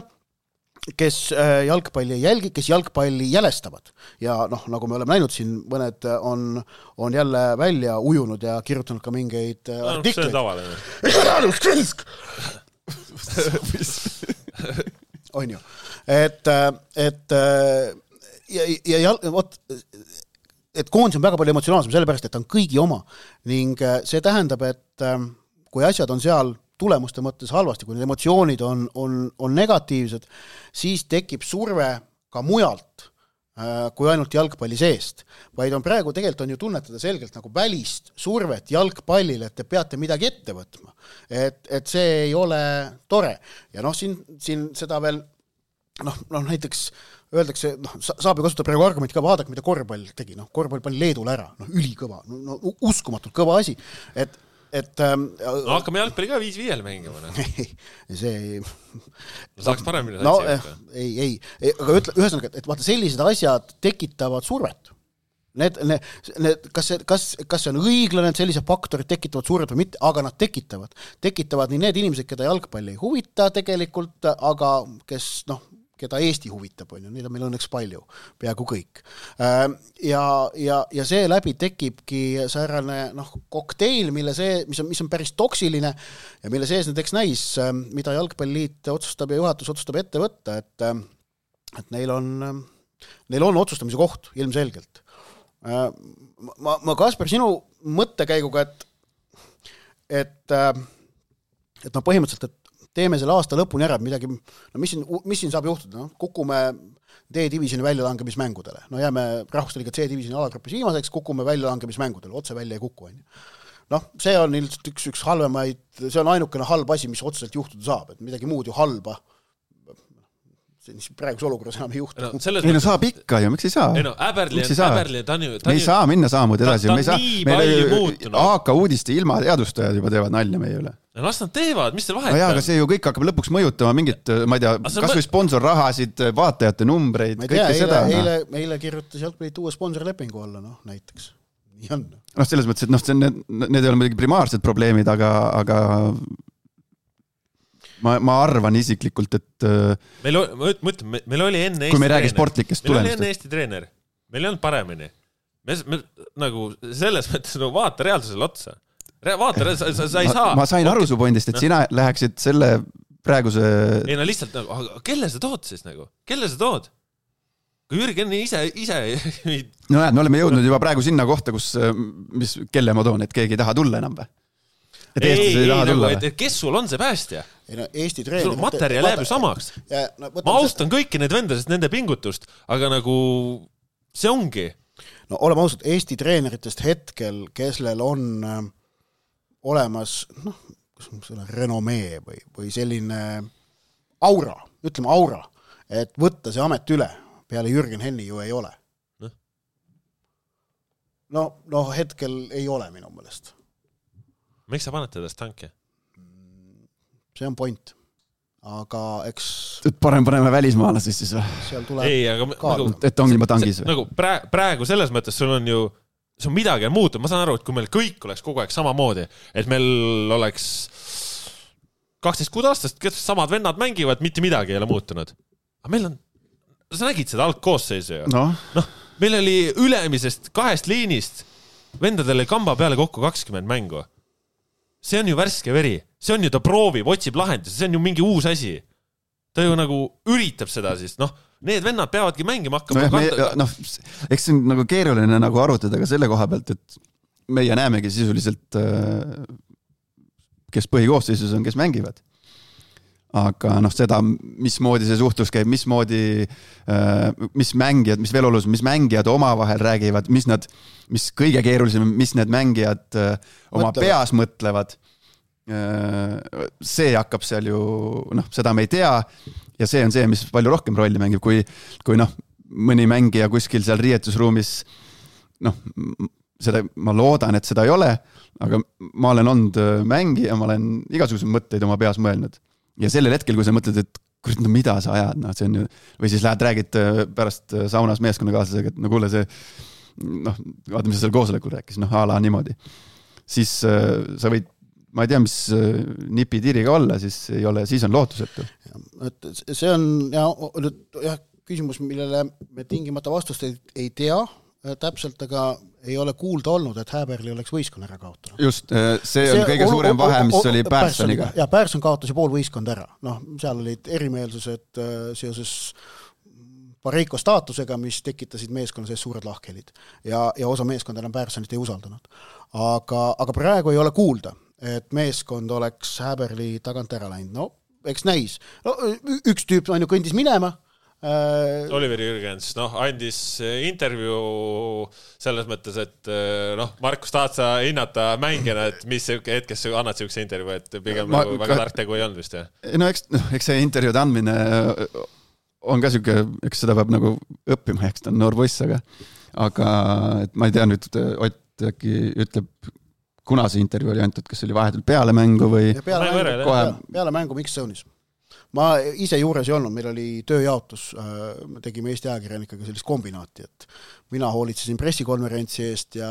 kes jalgpalli ei jälgi, kes jalgpalli jälestavad. Ja noh, nagu me oleme näinud siin, mõned on, on jälle välja ujunud ja kirjutanud ka mingeid no, artikleid. See on tavaline. on ju. Et, et ja, ja, ja võt, et koondis on väga palju emotsionaalsem, sellepärast, et ta on kõigi oma. Ning see tähendab, et kui asjad on seal tulemuste mõttes halvasti, kui need emotsioonid on, on, on negatiivsed, siis tekib surve ka mujalt äh, kui ainult jalgpalli seest. Vaid on praegu tegelikult on ju tunnetada selgelt nagu välist survet jalgpallile, et te peate midagi ette võtma. Et, et see ei ole tore. Ja noh, siin, siin seda veel, noh, noh näiteks öeldakse, noh, saab ju kasutada praegu argumenti ka, vaadake, mida korvpall tegi. Noh, korvpall pani Leedule ära, noh, ülikõva, no, no, uskumatult kõva asi, et et ähm, no hakkame jalgpalli ka viis viiel mängima. No. see no, saaks paremini no, eh, ei, ei, ei, aga ütle, ühesõnaga, et vaata sellised asjad tekitavad survet. Need, need, need, kas, see, kas, kas see on õiglane, et sellised faktorid tekitavad survet või mitte, aga nad tekitavad. Tekitavad nii need inimesed, keda jalgpalli ei huvita tegelikult, aga kes, noh, keda Eesti huvitab, on ju, neid on meil õnneks palju, peaaegu kõik. Ja, ja, ja see läbi tekibki säärane noh, kokteil, mille see, mis on, mis on päris toksiline ja mille sees näiteks näis, mida jalgpalliliit otsustab ja juhatus otsustab ette võtta, et, et neil on, neil on otsustamise koht ilmselgelt. Ma, ma Kasper, sinu mõttekäiguga, et, et, et no põhimõtteliselt, et teeme selle aasta lõpuni ära, midagi, no mis siin, mis siin saab juhtuda? No, kukume D-divisioni väljalangemismängudele. No jääme Rahvusliiga C-divisioni alagrupis viimaseks, kukume väljalangemismängudele, otse välja ei kuku. Noh, see on ilmselt üks, üks halvemaid, see on ainukene halb asi, mis otseselt juhtuda saab, et midagi muud ju halba. Praeguse olukorras enam ei juhtu. No, ei no saab ikka ju, miks ei saa? Ei no, Äberli, Äberli, ta on ju... Me ei saa minna saamud edasi. Ta, ta on nii palju muutunud. A K uudiste ilma teadustajad juba teevad nalja meie üle. Ja las nad teevad, mis te vahet no jaa, aga see ju kõik hakkab lõpuks mõjutama mingit, ma ei tea, kas või sponsorrahasid, vaatajate numbreid, kõike eile, seda. Eile, eile kirjutas jalgpallit uue sponsorlepingu alla, noh, näiteks. Nii on. Noh, selles mõttes, et noh, see, need, need ei ole midagi primaarsed probleemid, aga, aga ma, ma arvan isiklikult, et meil, ma ütlen, meil oli enne kui me räägi sportlikest tulemist. Meil oli enne Eesti treener. Meil ei olnud paremini. Me, me nagu selles mõttes no, vaata reaalsusele otsa. vaata, sa, sa, sa ei saa. Ma sain aru su pointist, et sina läheksid selle praeguse... Ei no lihtsalt, nagu, kelle sa tood siis nagu? Kelle sa tood? Kui Jürgen ise... ise... No näed, me oleme jõudnud juba praegu sinna kohta, kus, mis, kelle ma toon, et keegi ei taha tulla enam või? Et ei, ei, ei, nagu, et, et kes sul on see päästja? Ei, no, Eesti treener... Sul materjal jääb ju samaks. Ja, no, ma austan kõiki need vendasest nende pingutust, aga nagu see ongi. No oleme ausalt, Eesti treeneritest hetkel, kellel on äh, olemas noh, renomee või, või selline aura, ütleme aura, et võtta see amet üle, peale Jürgen Henni ju ei ole. No, no, no hetkel ei ole minu meelest. Miks sa paned teda tanki? See on point. Aga eks... Parem paneme välismaalasest siis või? Seal tuleb ei, aga nagu, et ongi juba tangis või? Nagu praegu selles mõttes sul on ju see on midagi muutunud, ma saan aru, et kui meil kõik oleks kogu aeg samamoodi, et meil oleks kaksteist kuud aastast, kes samad vennad mängivad, mitte midagi ei ole muutunud. Aga meil on, sa nägid seda algkoosseisu ju? No. noh, meil oli ülemisest kahest liinist vendadele kamba peale kokku kakskümmend mängu. See on ju värske veri. See on ju ta proovib, otsib lahendus, see on ju mingi uus asi. Ta ju nagu üritab seda siis, noh, need vennad peavadki mängima hakkama. No, me, noh, eks see on nagu keeruline nagu arutada ka selle koha pealt, et meie näemegi sisuliselt, kes põhikoosseisus on, kes mängivad. Aga noh, seda, mismoodi see suhtlus käib, mismoodi, mis mängijad, mis veel olus, mis mängijad omavahel räägivad, mis nad, mis kõige keerulisem, mis need mängijad oma mõtlevad. Peas mõtlevad. See hakkab seal ju, noh, seda me ei tea ja see on see, mis palju rohkem rolli mängib, kui, kui noh, mõni mängija kuskil seal riietusruumis, noh, seda, ma loodan, et seda ei ole, aga ma olen olnud mängija, ma olen igasuguseid mõtteid oma peas mõelnud. Ja sellel hetkel, kui sa mõtled, et kurat, no mida sa ajad, no see on ju, või siis lähed räägid pärast saunas meeskonnakaaslasega, et no kuule see, noh, vaata, mis sa seal koosolekul rääkis, noh, a la niimoodi. Siis sa võid, ma ei tea, mis nipi-tiriga olla, siis ei ole, siis on lootusetu. Et see on ja, jah, küsimus, millele me tingimata vastust ei, ei tea täpselt, aga ei ole kuulda olnud, et Häberli oleks võistkond ära kaotanud. Just, see on see, kõige suurem o, o, vahe, mis oli Pärssoniga. Ja Pärsson kaotas ju pool võistkond ära. Noh, seal olid erimeelsused seoses Pareiko staatusega, mis tekitasid meeskonna sees suured lahkhelid. Ja, ja osa meeskond enam Pärssonit ei usaldanud. Aga, aga praegu ei ole kuulda, et meeskond oleks Häberli tagant ära läinud. No, eks näis. No, üks tüüp on ju kõndis minema, Oliver Jürgens, noh, andis intervjuu selles mõttes, et noh, Markus tahad sa hinnata mängijana, et mis hetkes annad siukse intervjuu, et pigem ma, nagu väga tark tegu ei olnud vist, jah? No eks, no, eks see intervjuud andmine on ka siuke, eks seda peab nagu õppima, eks ta on noor poiss, aga aga et ma ei tea nüüd, Ott äkki ütleb, kuna see intervjuu oli antud, kas oli vahetult peale mängu või peale mängu, kohe... peale mängu Miks Zone'is. Ma ise juures ei olnud, meil oli tööjaotus, me tegime Eesti ajakirjanikega sellist kombinaati, et mina hoolitsesin pressikonverentsi eest ja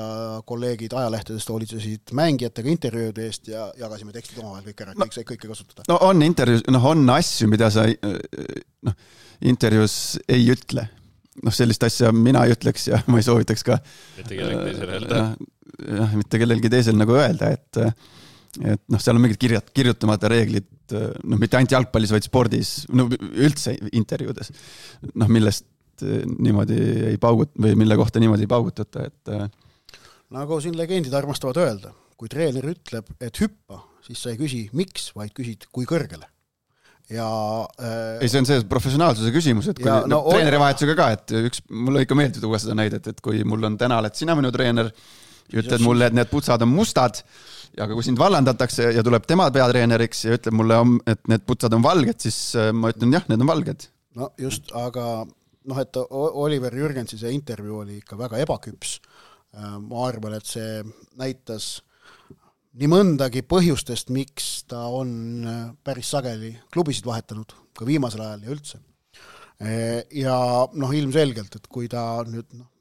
kolleegid ajalehtedest hoolitsesid mängijatega intervjuude eest ja jagasime tekstid omavahel kõik ära, et kõik sai kõike kasutada. No on intervjuus, noh on asju, mida sa noh, intervjuus ei ütle. Noh, sellist asja mina ei ütleks ja ma ei soovitaks ka mitte kellelgi teisel öelda. Ja, mitte kellelgi teisel nagu öelda, et et noh, seal on mingid kirjat, kirjutamata reeglid, noh, mitte ainult jalgpallis, vaid spordis, no üldse intervjuudes, noh, millest niimoodi ei paugut, või mille kohta niimoodi ei paugutata, et nagu siin legendid armastavad öelda, kui treener ütleb, et hüppa, siis sa ei küsi miks, vaid küsid kui kõrgele. Ja äh, ei, see on see professionaalsuse küsimus, et kui ja, no, treeneri vahetusega ka, et üks, mulle ikka meeldib tuua seda näidet, et kui mul on täna, et sina minu treener, ütled mulle, et need putsad on mustad, ja aga kui sind vallandatakse ja tuleb tema peatreeneriks ja ütleb mulle, et need putsad on valged, siis ma ütlen, jah, need on valged. No just, aga noh, et Oliver Jürgensi see intervjuu oli ikka väga ebaküps. Ma arvan, et see näitas nii mõndagi põhjustest, miks ta on päris sageli klubisid vahetanud, ka viimasel ajal ja üldse. Ja noh, ilmselgelt, et kui ta nüüd noh,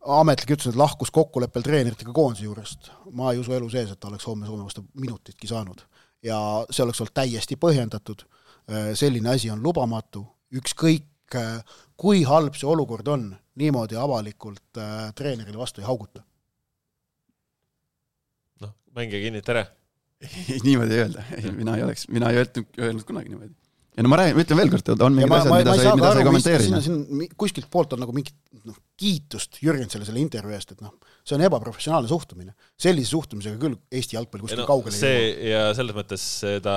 ametlik ütles, et lahkus kokkuleppel treeneritega koondise juurest. Ma ei usu elu sees, et ta oleks homme Soome vastu minutitki saanud. Ja see oleks olnud täiesti põhjendatud. Selline asi on lubamatu. Ükskõik, kui halb see olukord on, niimoodi avalikult treenerile vastu ei hauguta. No, mängija kinni, tere. Niimoodi ei öelda, ei, mina ei oleks, mina ei öelnud, öelnud kunagi niimoodi. Ja no ma räägin, ütlen veel kord, on mingid asjad, mida sa ei, mida sa ei kommenteeri. Kuskilt poolt on nagu mingit no, kiitust Jürgensele selle intervjuu eest, et noh, see on ebaprofessionaalne suhtumine. Sellise suhtumisega küll Eesti jalgpalli kuskil no, kaugele see ei ja selles mõttes seda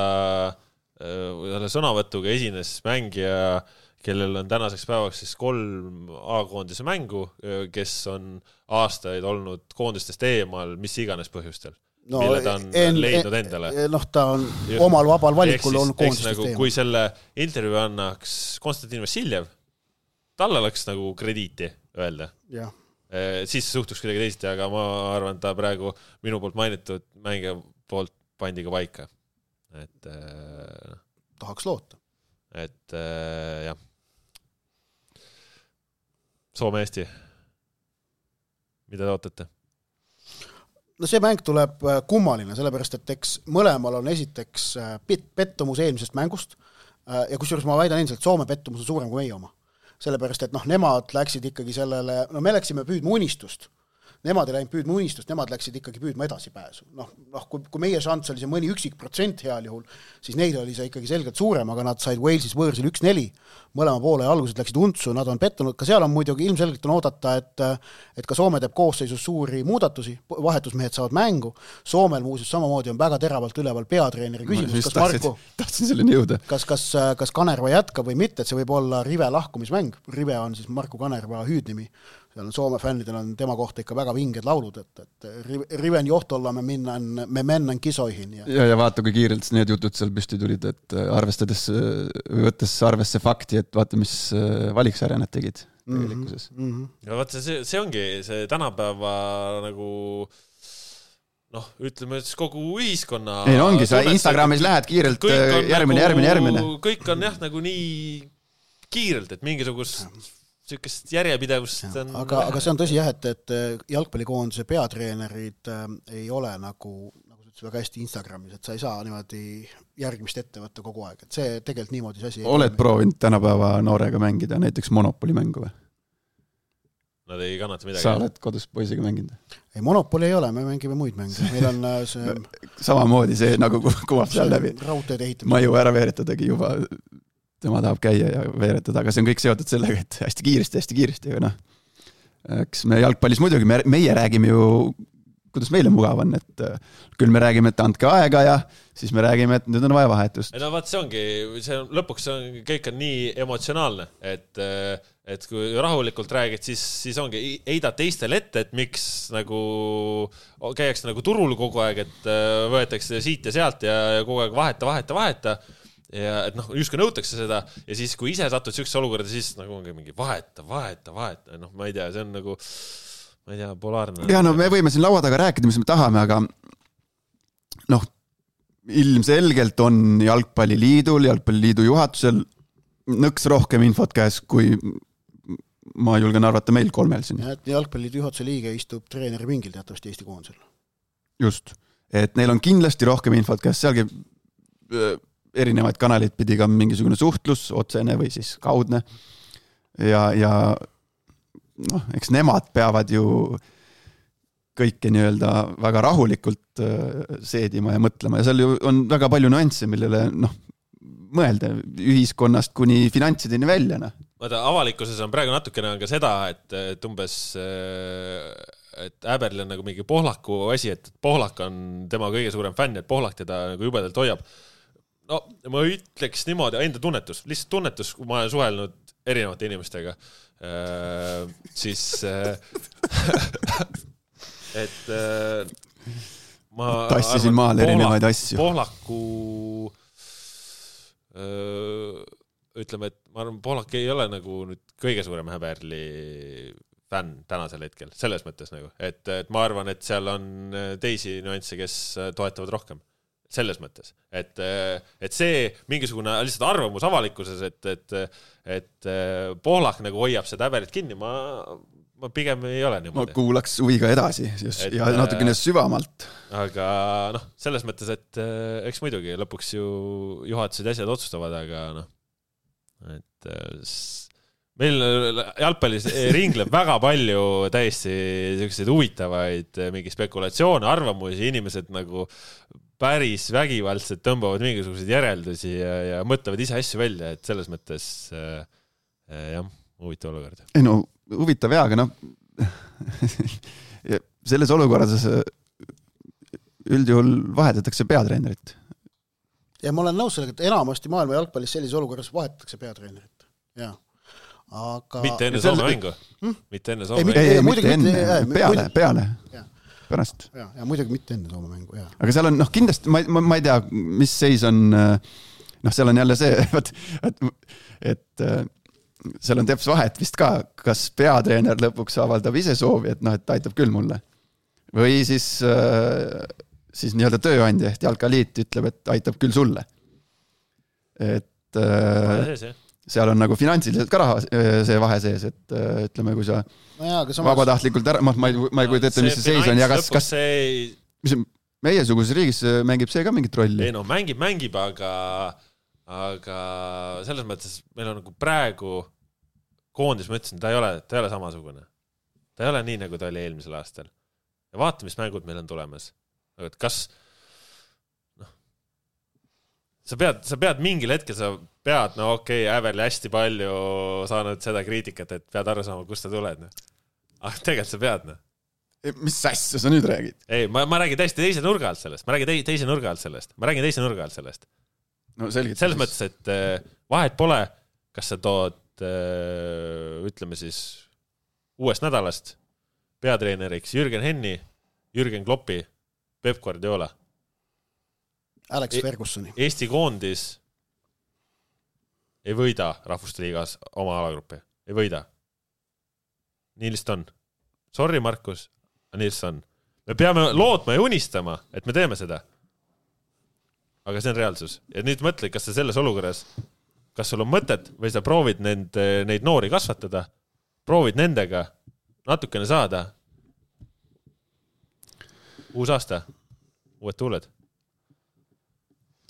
äh, sõnavõtuga esines mängija, kellel on tänaseks päevaks siis kolm A-koondise mängu, kes on aastaid olnud koondistest eemal, mis iganes põhjustel, no, mille ta on en, leidnud endale. Noh, ta on Just. omal vabal valikul olnud koondistest nagu, eemal. Kui selle intervjuu annaks Konstantin Vassiljev, talle oleks nagu krediiti öelda. Ja. Siis suhtuks kuidagi teisiti, aga ma arvan, ta praegu minu poolt mainitud mängija poolt pandi ka paika. Et, äh, tahaks loota. Et äh, jah. Soome Eesti. Mida te ootate? No see mäng tuleb kummaline, sellepärast, et eks mõlemal on esiteks pettumus eelmisest mängust ja kusjuures ma väidan endiselt, et Soome pettumus on suurem kui meie oma. Sellepärast, et noh, nemad läksid ikkagi sellele, no me läksime püüdma unistust. Nemad ei läinud püüdma unistust, nemad läksid ikkagi püüdma edasipääsu. Noh, noh kui, kui meie šants oli see mõni üksik protsent heal juhul, siis neil oli see ikkagi selgelt suurem, aga nad said Walesis võõrsil üks neli. Mõlema poole algused läksid untsu, nad on pettunud. Ka seal on muidugi ilmselgelt on oodata, et, et ka Soome teeb koosseisus suuri muudatusi, vahetusmehed saavad mängu. Soomel muuseas samamoodi on väga teravalt üleval peatreeneri küsimus, kas Marko, tahtsin selleni jõuda. Kas, kas, kas Kanerva jätkab või mitte, et see võib olla Rive lahkumismäng. Rive on siis Marko Kanerva hüüdnimi. Seal on Soome fännidel on tema kohta ikka väga vinged laulud, et, et Riven johtolla me, minnan, me mennän kisoihin. Ja... ja, ja vaata, kui kiirelt need jutud seal püsti tulid, et arvestades, võttes arvesse fakti, et vaata, mis valiksarja nad tegid tegelikkuses. Mm-hmm. Ja vaata, see, see ongi see tänapäeva nagu noh, ütleme, et kogu ühiskonna ei, no ongi, sa Instagramis lähed kiirelt järgmine, nagu, järgmine, järgmine. Kõik on jah, nagu nii kiirelt, et mingisugust sükest järjepidevust on... Aga, aga see on tõsi jah, et, et jalgpallikoondise peatreenerid äh, ei ole nagu, nagu ütles väga hästi Instagramis, et sa ei saa niimoodi järgmist ette võtta kogu aeg, et see tegelikult niimoodi see asi oled proovinud tänapäeva noorega mängida näiteks Monopoli mängu või? Nad ei kannata midagi. Sa oled kodus poisiga mänginud? Ei, Monopoli ei ole, me mängime muid mänge. Meil on see... Samamoodi see nagu kuvab seal läbi. Maju ära veeretadagi juba... tema tahab käia ja veeretada, aga see on kõik seotud sellega, et hästi kiiresti, hästi kiiresti, aga noh, eks me jalgpallis muidugi, me, meie räägime ju, kuidas meile mugav on, et küll me räägime, et andke aega ja siis me räägime, et nüüd on vaja vahetust. No vaat see ongi, see on, lõpuks on, kõik on nii emotsionaalne, et, et kui rahulikult räägid, siis, siis ongi, eidad teistel ette, et miks nagu käiakse nagu turul kogu aeg, et võetakse siit ja sealt ja kogu aeg vaheta, vaheta, vaheta. Ja et noh, justkui nõutakse seda ja siis kui ise satud sükse olukorda, siis nagu ongi mingi vaheta, vaheta, vaheta, noh, ma ei tea, see on nagu ma ei tea, polaarne. Ja no me võime siin laua taga rääkida, mis me tahame, aga noh, ilmselgelt on jalgpalliliidul, jalgpalliliidu juhatusel nõks rohkem infot käes, kui ma julgen arvata meil kolmel siin. Ja, jalgpalliliidu juhatuse liige istub treeneri pingil teatavasti Eesti koondisel. Just, et neil on kindlasti rohkem infot käes, sealgi erinevaid kanaleid pidi ka mingisugune suhtlus, otsene või siis kaudne. Ja, ja noh, eks nemad peavad ju kõike nii-öelda väga rahulikult seedima ja mõtlema ja seal ju on väga palju nüansse, millele noh, mõelda ühiskonnast kuni finantsideni välja. No. Vaata, avalikkuses on praegu natukene ka seda, et, et umbes et Äberli on nagu mingi Pohlaku asi, et Pohlak on tema kõige suurem fänn, et Pohlak teda nagu jubedalt hoiab. No, ma ütleks niimoodi, enda tunnetus, lihtsalt tunnetus, kui ma olen suhelnud erinevate inimestega, äh, siis äh, et äh, ma tassisin maal erinevaid asju. Pohlaku äh, ütleme, et ma arvan, Pohlak ei ole nagu nüüd kõige suurem Häberli fänn tänasel hetkel, selles mõttes nagu, et, et ma arvan, et seal on teisi nüansse, kes toetavad rohkem. Selles mõttes, et, et see mingisugune lihtsalt arvamus avalikkuses, et, et, et Pohlak nagu hoiab seda Äberit kinni, ma, ma pigem ei ole niimoodi. Ma kuulaks huviga edasi just, et, ja natukene süvamalt. Aga noh, selles mõttes, et eks muidugi lõpuks ju juhatused asjad otsustavad, aga noh, et meil jalgpallis ringleb väga palju täiesti selliseid huvitavaid mingi spekulatsioone, arvamusi, inimesed nagu päris vägivaldselt tõmbavad mingisuguseid järeldusi ja, ja mõtlevad ise asju välja, et selles mõttes äh, jah, huvitav olukord. Ei no, huvitav jaa, aga noh, selles olukorras üldjuhul vahetatakse peatreenerit. Ja ma olen nõus sellega, et enamasti maailma jalgpallis sellises olukorras vahetatakse peatreenerit. Jaa. Aga... mitte enne Soome mängu hmm? mitte enne Soome ei, mängu ei, ei, mitte enne, jah, peale, peale ja. Pärast ja, ja muidugi mitte enne Soome mängu ja. Aga seal on noh, kindlasti ma, ma, ma ei tea, mis seis on noh, seal on jälle see et, et, et seal on teps vahet vist ka, kas peatreener lõpuks avaldab ise soovi, et noh, et aitab küll mulle või siis siis nii-öelda tööandja ehk Jalkaliit ütleb, et aitab küll sulle, et sees, jah. Seal on nagu finantsiliselt ka raha see vahe sees, et ütleme, kui sa no jaa, samas... vabatahtlikult ära, ma, ma ei, ma ei kujuta ette, mis see seis on ja kas, kas ei... mis meie suguses riigis mängib see ka mingit rolli? Ei no, mängib, mängib, aga aga selles mõttes meil on nagu praegu koondis, ma ütlesin, ta ei ole, ta ei ole samasugune. Ta ei ole nii, nagu ta oli eelmisel aastal. Ja vaata, mis mängud meil on tulemas. Et kas noh, sa pead, sa pead mingil hetkel, sa pead, no okei, okay, Äverli hästi palju saanud seda kriitikat, et pead aru saama, kust sa tuled. No. Aga tegelikult sa pead, no. Mis asja sa nüüd räägid? Ei, ma, ma räägin täiesti teise nurga alt sellest. Ma räägin te, teise nurga alt sellest. Ma räägin teise nurga alt sellest. No selgelt. Selles mõttes, et vahet pole, kas sa tood, ütleme siis, uuest nädalast peatreeneriks Jürgen Henni, Jürgen Kloppi, Pep Guardiola. Alex Fergusoni. Eesti koondis ei võida Rahvuste liigas oma alagruppi. Ei võida. Nii lihtsalt on. Sorry, Markus, aga nii lihtsalt on. Me peame lootma ja unistama, et me teeme seda. Aga see on reaalsus. Ja nüüd mõtle, kas sa selles olukorras, kas sul on mõtet või sa proovid neid, neid noori kasvatada, proovid nendega natukene saada. Uus aasta. Uued tuuled.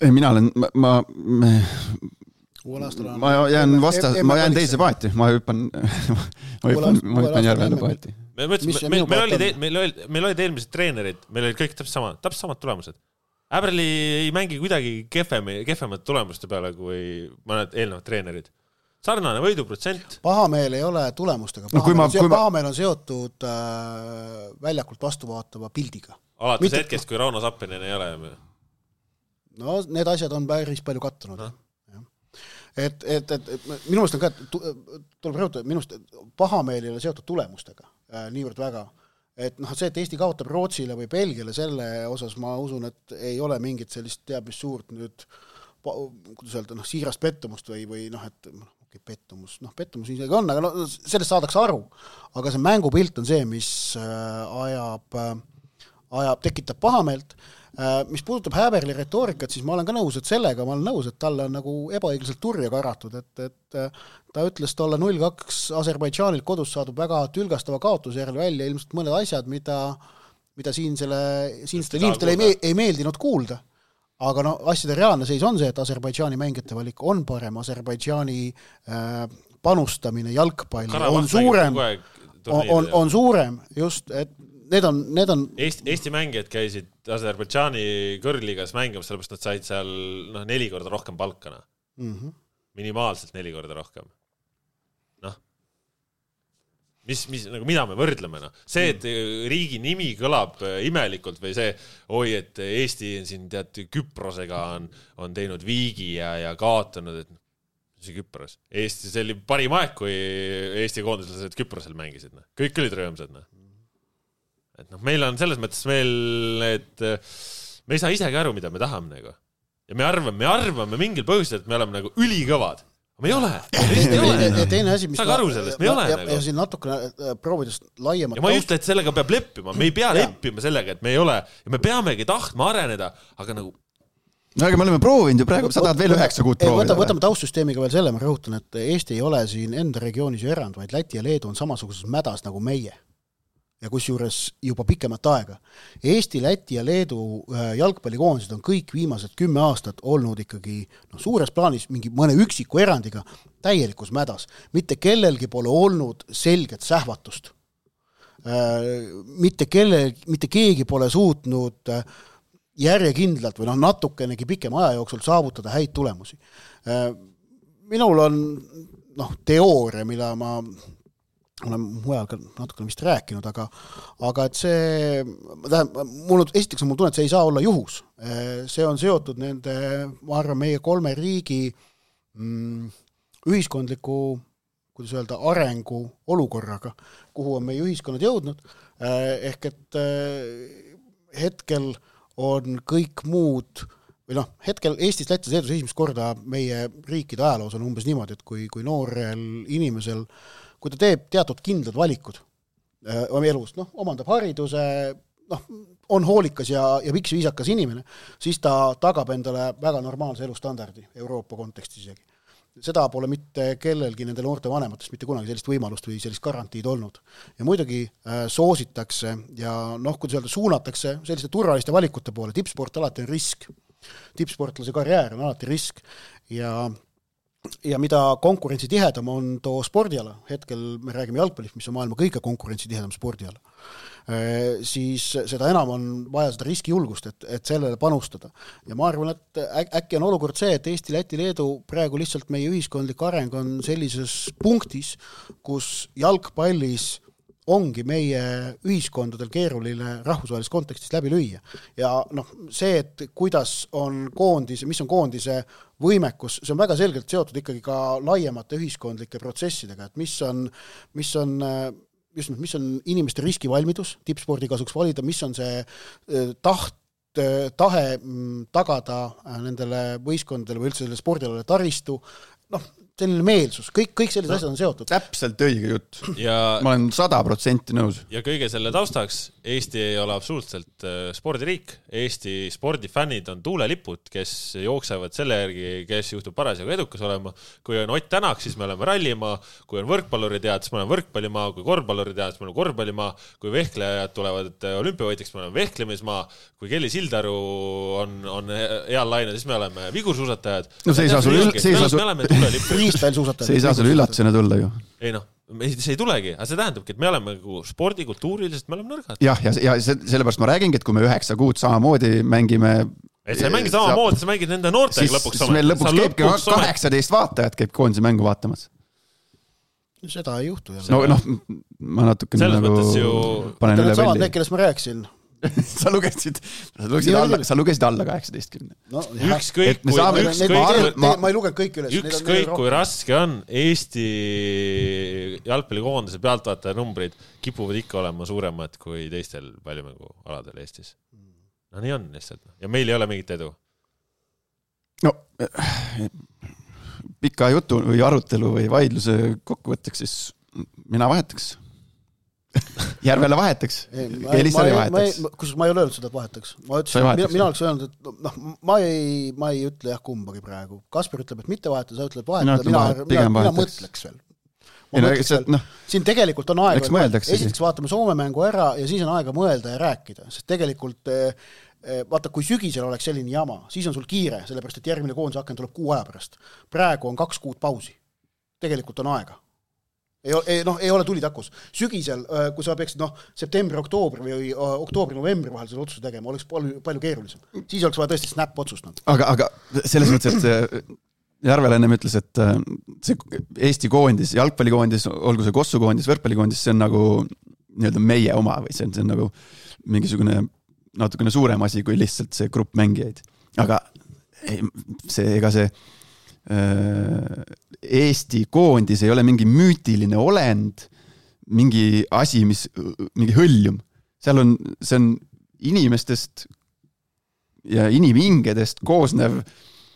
Ei, mina olen, ma, ma, ma, ma jään vasta, ma jään teise paati, ma hüppan, ma hüppan, ma hüppan järvele paati. Me mõtlesime, meil, meil, oli, meil, oli, meil olid eelmised treenerid, meil olid kõik täpselt samad, täpselt samad tulemused. Äberli ei mängi kuidagi kehvemi, kehvemad tulemuste peale kui mõned eelnevad treenerid. Sarnane võiduprotsent. Pahameel ei ole tulemustega. Pahameel, no, ma, pahameel on seotud äh, väljakult vastu vaatava pildiga. Alates Mitte... hetkest, kui Rauno Sappinen ei ole. No need asjad on päris palju kattunud. No. Et, et, et, et minu meelest on ka, tuleb rõhutada, minu meelest pahameel ei ole seotud tulemustega äh, niivõrd väga. Et noh, see, et Eesti kaotab Rootsile või Belgiale, selle osas ma usun, et ei ole mingit sellist teab mis suurt nüüd, kuidas öelda, noh, siirast pettumust või, või noh, et okay, pettumus, noh, pettumus isegi on, aga no, sellest saadakse aru. Aga see mängupilt on see, mis äh, ajab, äh, ajab, tekitab pahameelt. Mis puudutab Häberli retoorikat, siis ma olen ka nõus, et sellega ma olen nõus, et talle on nagu ebaõiglaselt turja karatud, et, et ta ütles tolle null kaks Aserbaidžaanilt kodus saadub väga tülgastava kaotuse järel välja ilmselt mõned asjad, mida, mida siin selle, siinstele inimestele ei, ei meeldinud kuulda. Aga no, asjade reaalne seis on see, et Aserbaidžaani mängijate valik on parem, Aserbaidžaani äh, panustamine jalgpalli on suurem, on, on, on suurem just, et Need on, need on... Eesti, Eesti mängijad käisid Aserbaidžaani kõrgliigas mängimas, sellepärast nad said seal no, neli korda rohkem palkana. Mm-hmm. Minimaalselt neli korda rohkem. Noh. Mis, mis, nagu mida me võrdleme? No? See, et riigi nimi kõlab imelikult või see, oi, et Eesti on siin tead, Küprosega on, on teinud viigi ja, ja kaotanud, et see Küpros. Eesti, see oli parim aeg, kui Eesti koondislased Küprosel mängisid. No? Kõik olid rõõmsad. No? Et noh, meil on selles mõttes veel, et me ei saa isegi aru, mida me tahame nagu. Ja me arvame, me arvame mingil põhjusel, et me oleme nagu ülikõvad. Aga me ei ole. Me ei ole. Ja teine asi, mis Saag aru sellest, me ei ole ja, nagu. Ja siin natukene proovidest laiemalt. Ja ma ei ütle, et sellega peab leppima. Me ei pea leppima sellega, et me ei ole. Ja me peamegi tahtma areneda, aga nagu no aga me oleme proovinud ju praegu, sa tahad veel üheksa kuud proovida. Võtame taustsüsteemiga veel selle, ma rõhutan, et Eesti ei ole siin enda regioonis ju erand, vaid Läti ja Leedu on samasuguses mädas nagu meie. ja kusjuures juba pikemat aega. Eesti, Läti ja Leedu jalgpallikoondised on kõik viimased kümme aastat olnud ikkagi no, suures plaanis mingi mõne üksiku erandiga täielikus mädas. Mitte kellelgi pole olnud selget sähvatust. Mitte, kellel, mitte keegi pole suutnud järjekindlalt või noh, natukenegi pikem aja jooksul saavutada häid tulemusi. Minul on noh, teooria, mille ma olen mujal ka natukene vist rääkinud, aga, aga et see, mul, esiteks on mul tunne, et see ei saa olla juhus. See on seotud nende, ma arvan, meie kolme riigi mm, ühiskondliku, kuidas öelda, arengu olukorraga, kuhu on meie ühiskonnad jõudnud. Ehk et hetkel on kõik muud, või noh, hetkel Eestis, Lätis, Leedus esimest korda meie riikide ajaloos on umbes niimoodi, et kui, kui noorel inimesel kui ta teeb teatud kindlad valikud oma elust, noh, omandab hariduse, noh, on hoolikas ja, ja piks viisakas inimene, siis ta tagab endale väga normaalse elustandardi Euroopa kontekstis isegi. Seda pole mitte kellelgi nende noorte vanematest mitte kunagi sellist võimalust või sellist garantiid olnud. Ja muidugi äh, soositakse ja noh, kuidas öelda, suunatakse selliste turvaliste valikute poole. Tippsport alati on risk. Tippsportlase karjäär on alati risk ja ja mida konkurentsi tihedam on too spordiala, hetkel me räägime jalgpallist, mis on maailma kõige konkurentsi tihedam spordiala, siis seda enam on vaja seda riskijulgust, et, et sellele panustada. Ja ma arvan, et äkki on olukord see, et Eesti, Läti, Leedu praegu lihtsalt meie ühiskondlik areng on sellises punktis, kus jalgpallis ongi meie ühiskondadel keeruline rahvusvahelises kontekstis läbi lüüa. Ja noh, see, et kuidas on koondise, mis on koondise võimekus, see on väga selgelt seotud ikkagi ka laiemate ühiskondlike protsessidega, et mis on, mis on, just, mis on inimeste riskivalmidus tippspordi kasuks valida, mis on see taht, tahe tagada nendele võistkondadele või üldse selle spordialale taristu, noh, selline meelsus, kõik, kõik sellised no, asjad on seotud. Täpselt õige jutt. Ja, ma olen sada protsenti nõus. Ja kõige selle taustaks, Eesti ei ole absoluutselt spordiriik. Eesti spordifännid on tuulelipud, kes jooksevad selle järgi, kes juhtub parasjagu edukas olema. Kui on Ott Tänak, siis me oleme rallimaa. Kui on võrkpalluri tead, siis me oleme võrkpallimaa. Kui korvpalluri tead, siis me oleme korvpallimaa. Kui vehklejad tulevad olümpiavõitjaks, me oleme vehklemismaa. Kui Kelly Sildaru on, on heal laine, siis me oleme vigursuusatajad. No see ei saa sul üll... See see ei saa sul üllatusena tulla ju. Ei noh, see ei tulegi, aga see tähendabki, et me oleme spordi, kultuurilisest, me oleme nõrgad. Jah, ja, ja sellepärast ma räägingi, et kui me üheksa kuud samamoodi mängime... Et sa ei mängi samamoodi, sa mängid nende noortega siis, lõpuks. Siis meil lõpuks käibki kaheksateist vaatajat käib koondise mängu vaatamas. Seda ei juhtu. No, noh, ma natuke nagu ju... panen üle velli. Need, kellest ma rääkisin... sa lugesid, sa lugesid alla, sa lugesid alla kaheksateistkümne. No, ükskõik, kui, saame, ükskõik, ükskõik, ma, ma ei lugenud kõik üles. Ükskõik, kui raske on, Eesti jalgpallikoondise pealtvaataja numbrid kipuvad ikka olema suuremad kui teistel paljumängualadel Eestis. No nii on lihtsalt. Ja meil ei ole mingit edu. No, pika jutu või arutelu või vaidluse kokkuvõtteks, siis mina vahetaks. Järvele vahetaks. Elisari vahetaks. Kus ma ei ole öelnud seda, et vahetaks. Ma ütlesin, mina, mina oleks öelnud, et noh, ma ei, ma ei ütle jah kumbagi praegu. Kasper ütleb, et mitte vahetada, sa ütleb vahetada. Mina, mina, mina mõtleks veel. Ma no, mõtleks veel. No, siin tegelikult on aega. Esiteks vaatame Soome mängu ära ja siis on aega mõelda ja rääkida. Sest tegelikult, vaata, kui sügisel oleks selline jama, siis on sul kiire, sellepärast, et järgmine koondise aken tuleb kuu aja pärast. Praegu on kaks kuud pausi. Tegelikult on aega. Ei, ei, noh, ei ole tuli takus. Sügisel, kui sa peaksid noh, septembri, oktoobri või oktoobri, novembri vahel selle otsuse tegema, oleks palju, palju keerulisem. Siis oleks vaja tõesti snap otsust. Aga, aga selles mõttes, et Järvel ennem ütles, et see Eesti koondis, jalgpallikoondis, olgu see Kossu koondis, võrkpallikoondis, see on nagu nii-öelda meie oma või see on, see on nagu mingisugune natukene suurem asi kui lihtsalt see grupp mängijaid. Aga see, ega see Eesti koondis ei ole mingi müütiline olend, mingi asi, mis, mingi hõljum. Seal on, see on inimestest ja inimingedest koosnev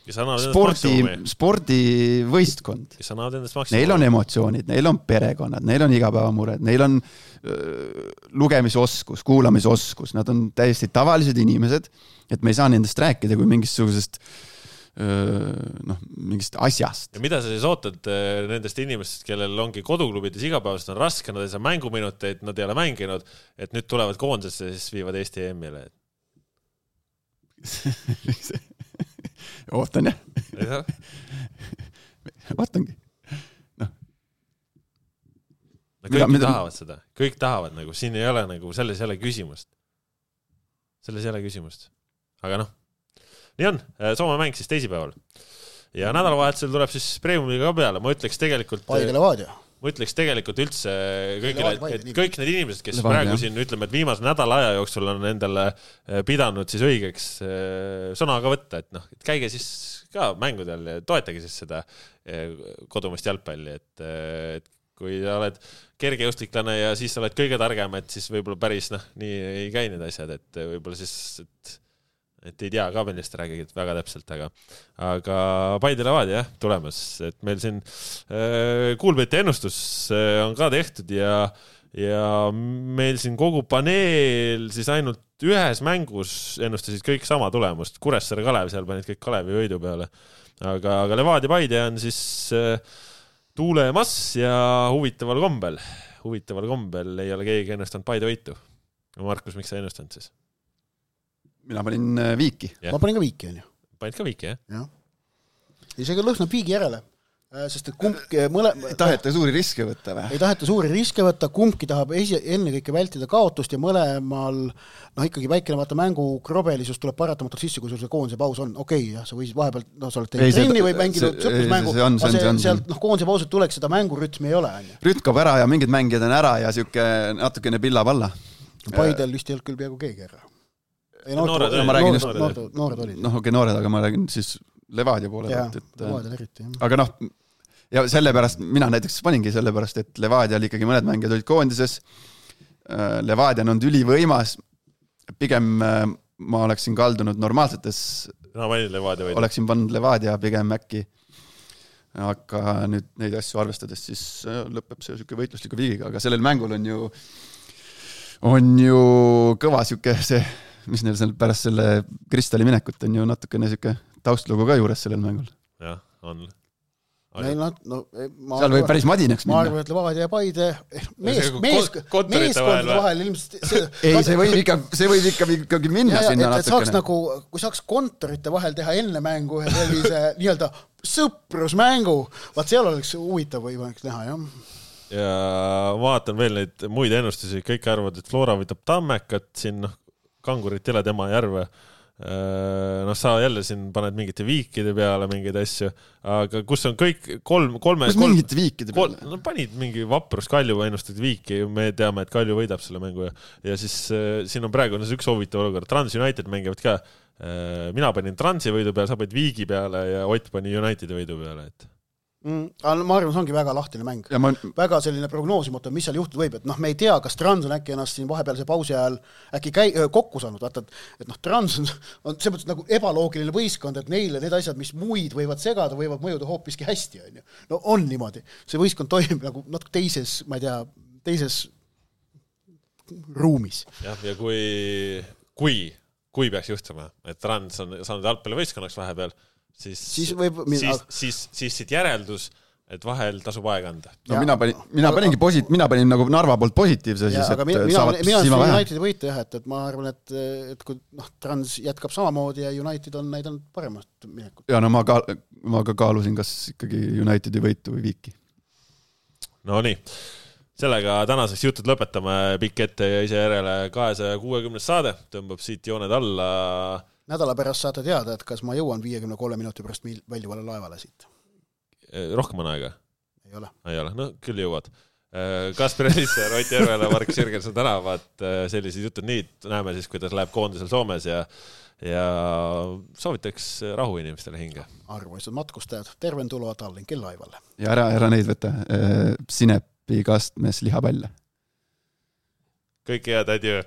spordi, spordivõistkond. Neil on emotsioonid, neil on perekonnad, neil on igapäevamured, neil on öö, lugemisoskus, kuulamisoskus, nad on täiesti tavalised inimesed, et me ei saa nendest rääkida kui mingisugusest noh, mingist asjast. Ja mida sa siis ootad nendest inimestest, kellel ongi koduklubides igapäevast on raske, nad ei saa mänguminuteid, nad ei ole mänginud, et nüüd tulevad koondesse ja siis viivad Eesti E M-ile? Ootan jah. Ootangi. No. No kõik mida, tahavad mida... seda. Kõik tahavad, nagu siin ei ole nagu, selles ei ole küsimust. Selles ei ole küsimust. Aga noh, nii on, Soome mäng siis teisipäeval. Ja nädalavahetusel tuleb siis Premiumiga ka peale. Ma ütleks tegelikult... Paide Levadia. Ma ütleks tegelikult üldse kõigile, et kõik need inimesed, kes Levadia, praegu siin ütleme, et viimase nädala aja jooksul on endale pidanud siis õigeks sõnaga võtta, et noh, et käige siis ka mängudel ja toetage siis seda kodumist jalgpalli, et, et kui oled kergejõustiklane ja siis oled kõige targem, et siis võib-olla päris noh, nii ei käi need asjad, et võib-olla siis... Et et ei tea ka, millest räägid väga täpselt, aga, aga Paide Levadia jah, tulemas, et meil siin äh, kuulbeti ennustus äh, on ka tehtud ja, ja meil siin kogu paneel siis ainult ühes mängus ennustasid kõik sama tulemust, Kuressaare Kalev, seal panid kõik Kalevi võidu peale, aga, aga Levadia Paide on siis äh, tuulemas ja huvitaval kombel, huvitaval kombel ei ole keegi ennustanud Paide võitu. Markus, miks sa ennustanud siis? Mina panin viiki. Ja. Ma panin ka viiki, on ju. Panid ka viiki, jah? Jah. Isegi lõhnab viigi järele, sest et kumbki mõle... Ei taheta suuri riske võtta või? Ei taheta suuri riske võtta, kumbki tahab esi... enne kõike vältida kaotust ja mõlemal, noh ikkagi väikene vaata mängu krobelisus tuleb paratamatult sisse, kui sul see koondise paus on. Okei, okay, jah, sa võisid vahepeal, no sa oled teinud trenni või mänginud sõprusmängu, aga sealt noh, koondise pausud tuleks, seda mängurütmi ei ole. Rütm kaob ära ja mingid mängijad on ära ja siuke natukene pillab alla. Paidel vist ei olnud küll peaaegu keegi ära. Ei, noored, no, ma räägin just noored, noored olid. Noh, okei, okay, noored, aga ma räägin siis Levadia poole. Jaa, Levadia eriti, jah. Aga noh, ja sellepärast, mina näiteks paningi sellepärast, et Levadia oli ikkagi mõned mängijad olid koondises. Levadia on olnud ülivõimas. Pigem ma oleksin kaldunud normaalsetes. No, ma Levadia võid. Oleksin pannud Levadia pigem äkki. Aga nüüd neid asju arvestades, siis lõpeb see siuke võitlusliku viigiga. Aga sellel mängul on ju, on ju kõva siuke see mis neil seal pärast selle Kristali minekut on ju natukene siuke taustlugu ka juures sellel mängul. Jah, on. Neil on, no, ma seal võib päris madinaks minna. Ma arvan, et Levadia ja Paide mees, mees, meeskondade vahel ilmselt see, ei, see võib ikka, see võib ikka ikkagi minna ja, sinna et, et saaks nagu, kui saaks kontorite vahel teha enne mängu ühe sellise nii-öelda sõprusmängu, vaat seal oleks huvitav võimalik näha, jah. Ja vaatan veel neid muid ennustusi, kõik arvavad, et Flora võtab Tammekat siin, noh, Kangurit ei ole tema järve. No sa jälle siin paned mingite viikide peale mingeid asju, aga kus on kõik kolm, kolme... Kus kolm, mingite viikide peale? Kolm, no panid mingi vaprus Kalju ennustad viiki, me teame, et Kalju võidab selle mängu ja, ja siis äh, siin on praegu no, üks huvitav olukord. Trans United mängivad ka. Äh, mina panin Transi võidu peale, sa panid viigi peale ja Ott pani Unitedi võidu peale, et... Mm, ma arvan, see ongi väga lahtine mäng. Ma... Väga selline prognoosimatu, mis seal juhtud võib, et noh, me ei tea, kas Trans on äkki ennast siin vahepealse pausi ajal äkki käi... kokku saanud, vaata, et noh, Trans on, on see mõttes nagu ebaloogiline võistkond, et neile need asjad, mis muid võivad segada, võivad mõjuda hoopiski hästi, on ju. No on niimoodi. See võistkond toimib nagu natuke teises, ma ei tea, teises ruumis. Jah, ja kui, kui, kui peaks juhtuma, et Trans on saanud jalgpalli võistkonnaks vahepeal, Siis, siis, võib, siis, siis, siis siit järeldus, et vahel tasub aega anda. No ja, mina panin, mina paningi posit, mina panin nagu Narva poolt positiivse. Ja, siis, aga mina, mina, mina olen Unitedi võita jah, et, et ma arvan, et, et kui noh, Trans jätkab samamoodi ja United on näidanud paremast minekut. Ja no ma, ka, ma ka kaalusin, kas ikkagi Unitedi võitu või viiki. No nii, sellega tänaseks jutud lõpetame pikk ette ja ise järele kahesaja kuuekümne saade, tõmbab siit jooned alla. Nädala pärast saate teada, et kas ma jõuan viiekümne kolme minuti pärast väljuvale laevale siit. Rohkem on aega? Ei ole. Ei ole, no küll jõuad. Kasper Elisser, Ott Järvele, Mark Sirgelson tänavad sellised jutud nii, näeme siis, kuidas läheb koondisel Soomes ja, ja soovitaks rahu inimestele hinge. Arvoisad matkustajad, terventuloa Tallinki laivale. Ja ära, ära neid võtta, Sinepi kastmes lihapälle. Kõik head, adjö.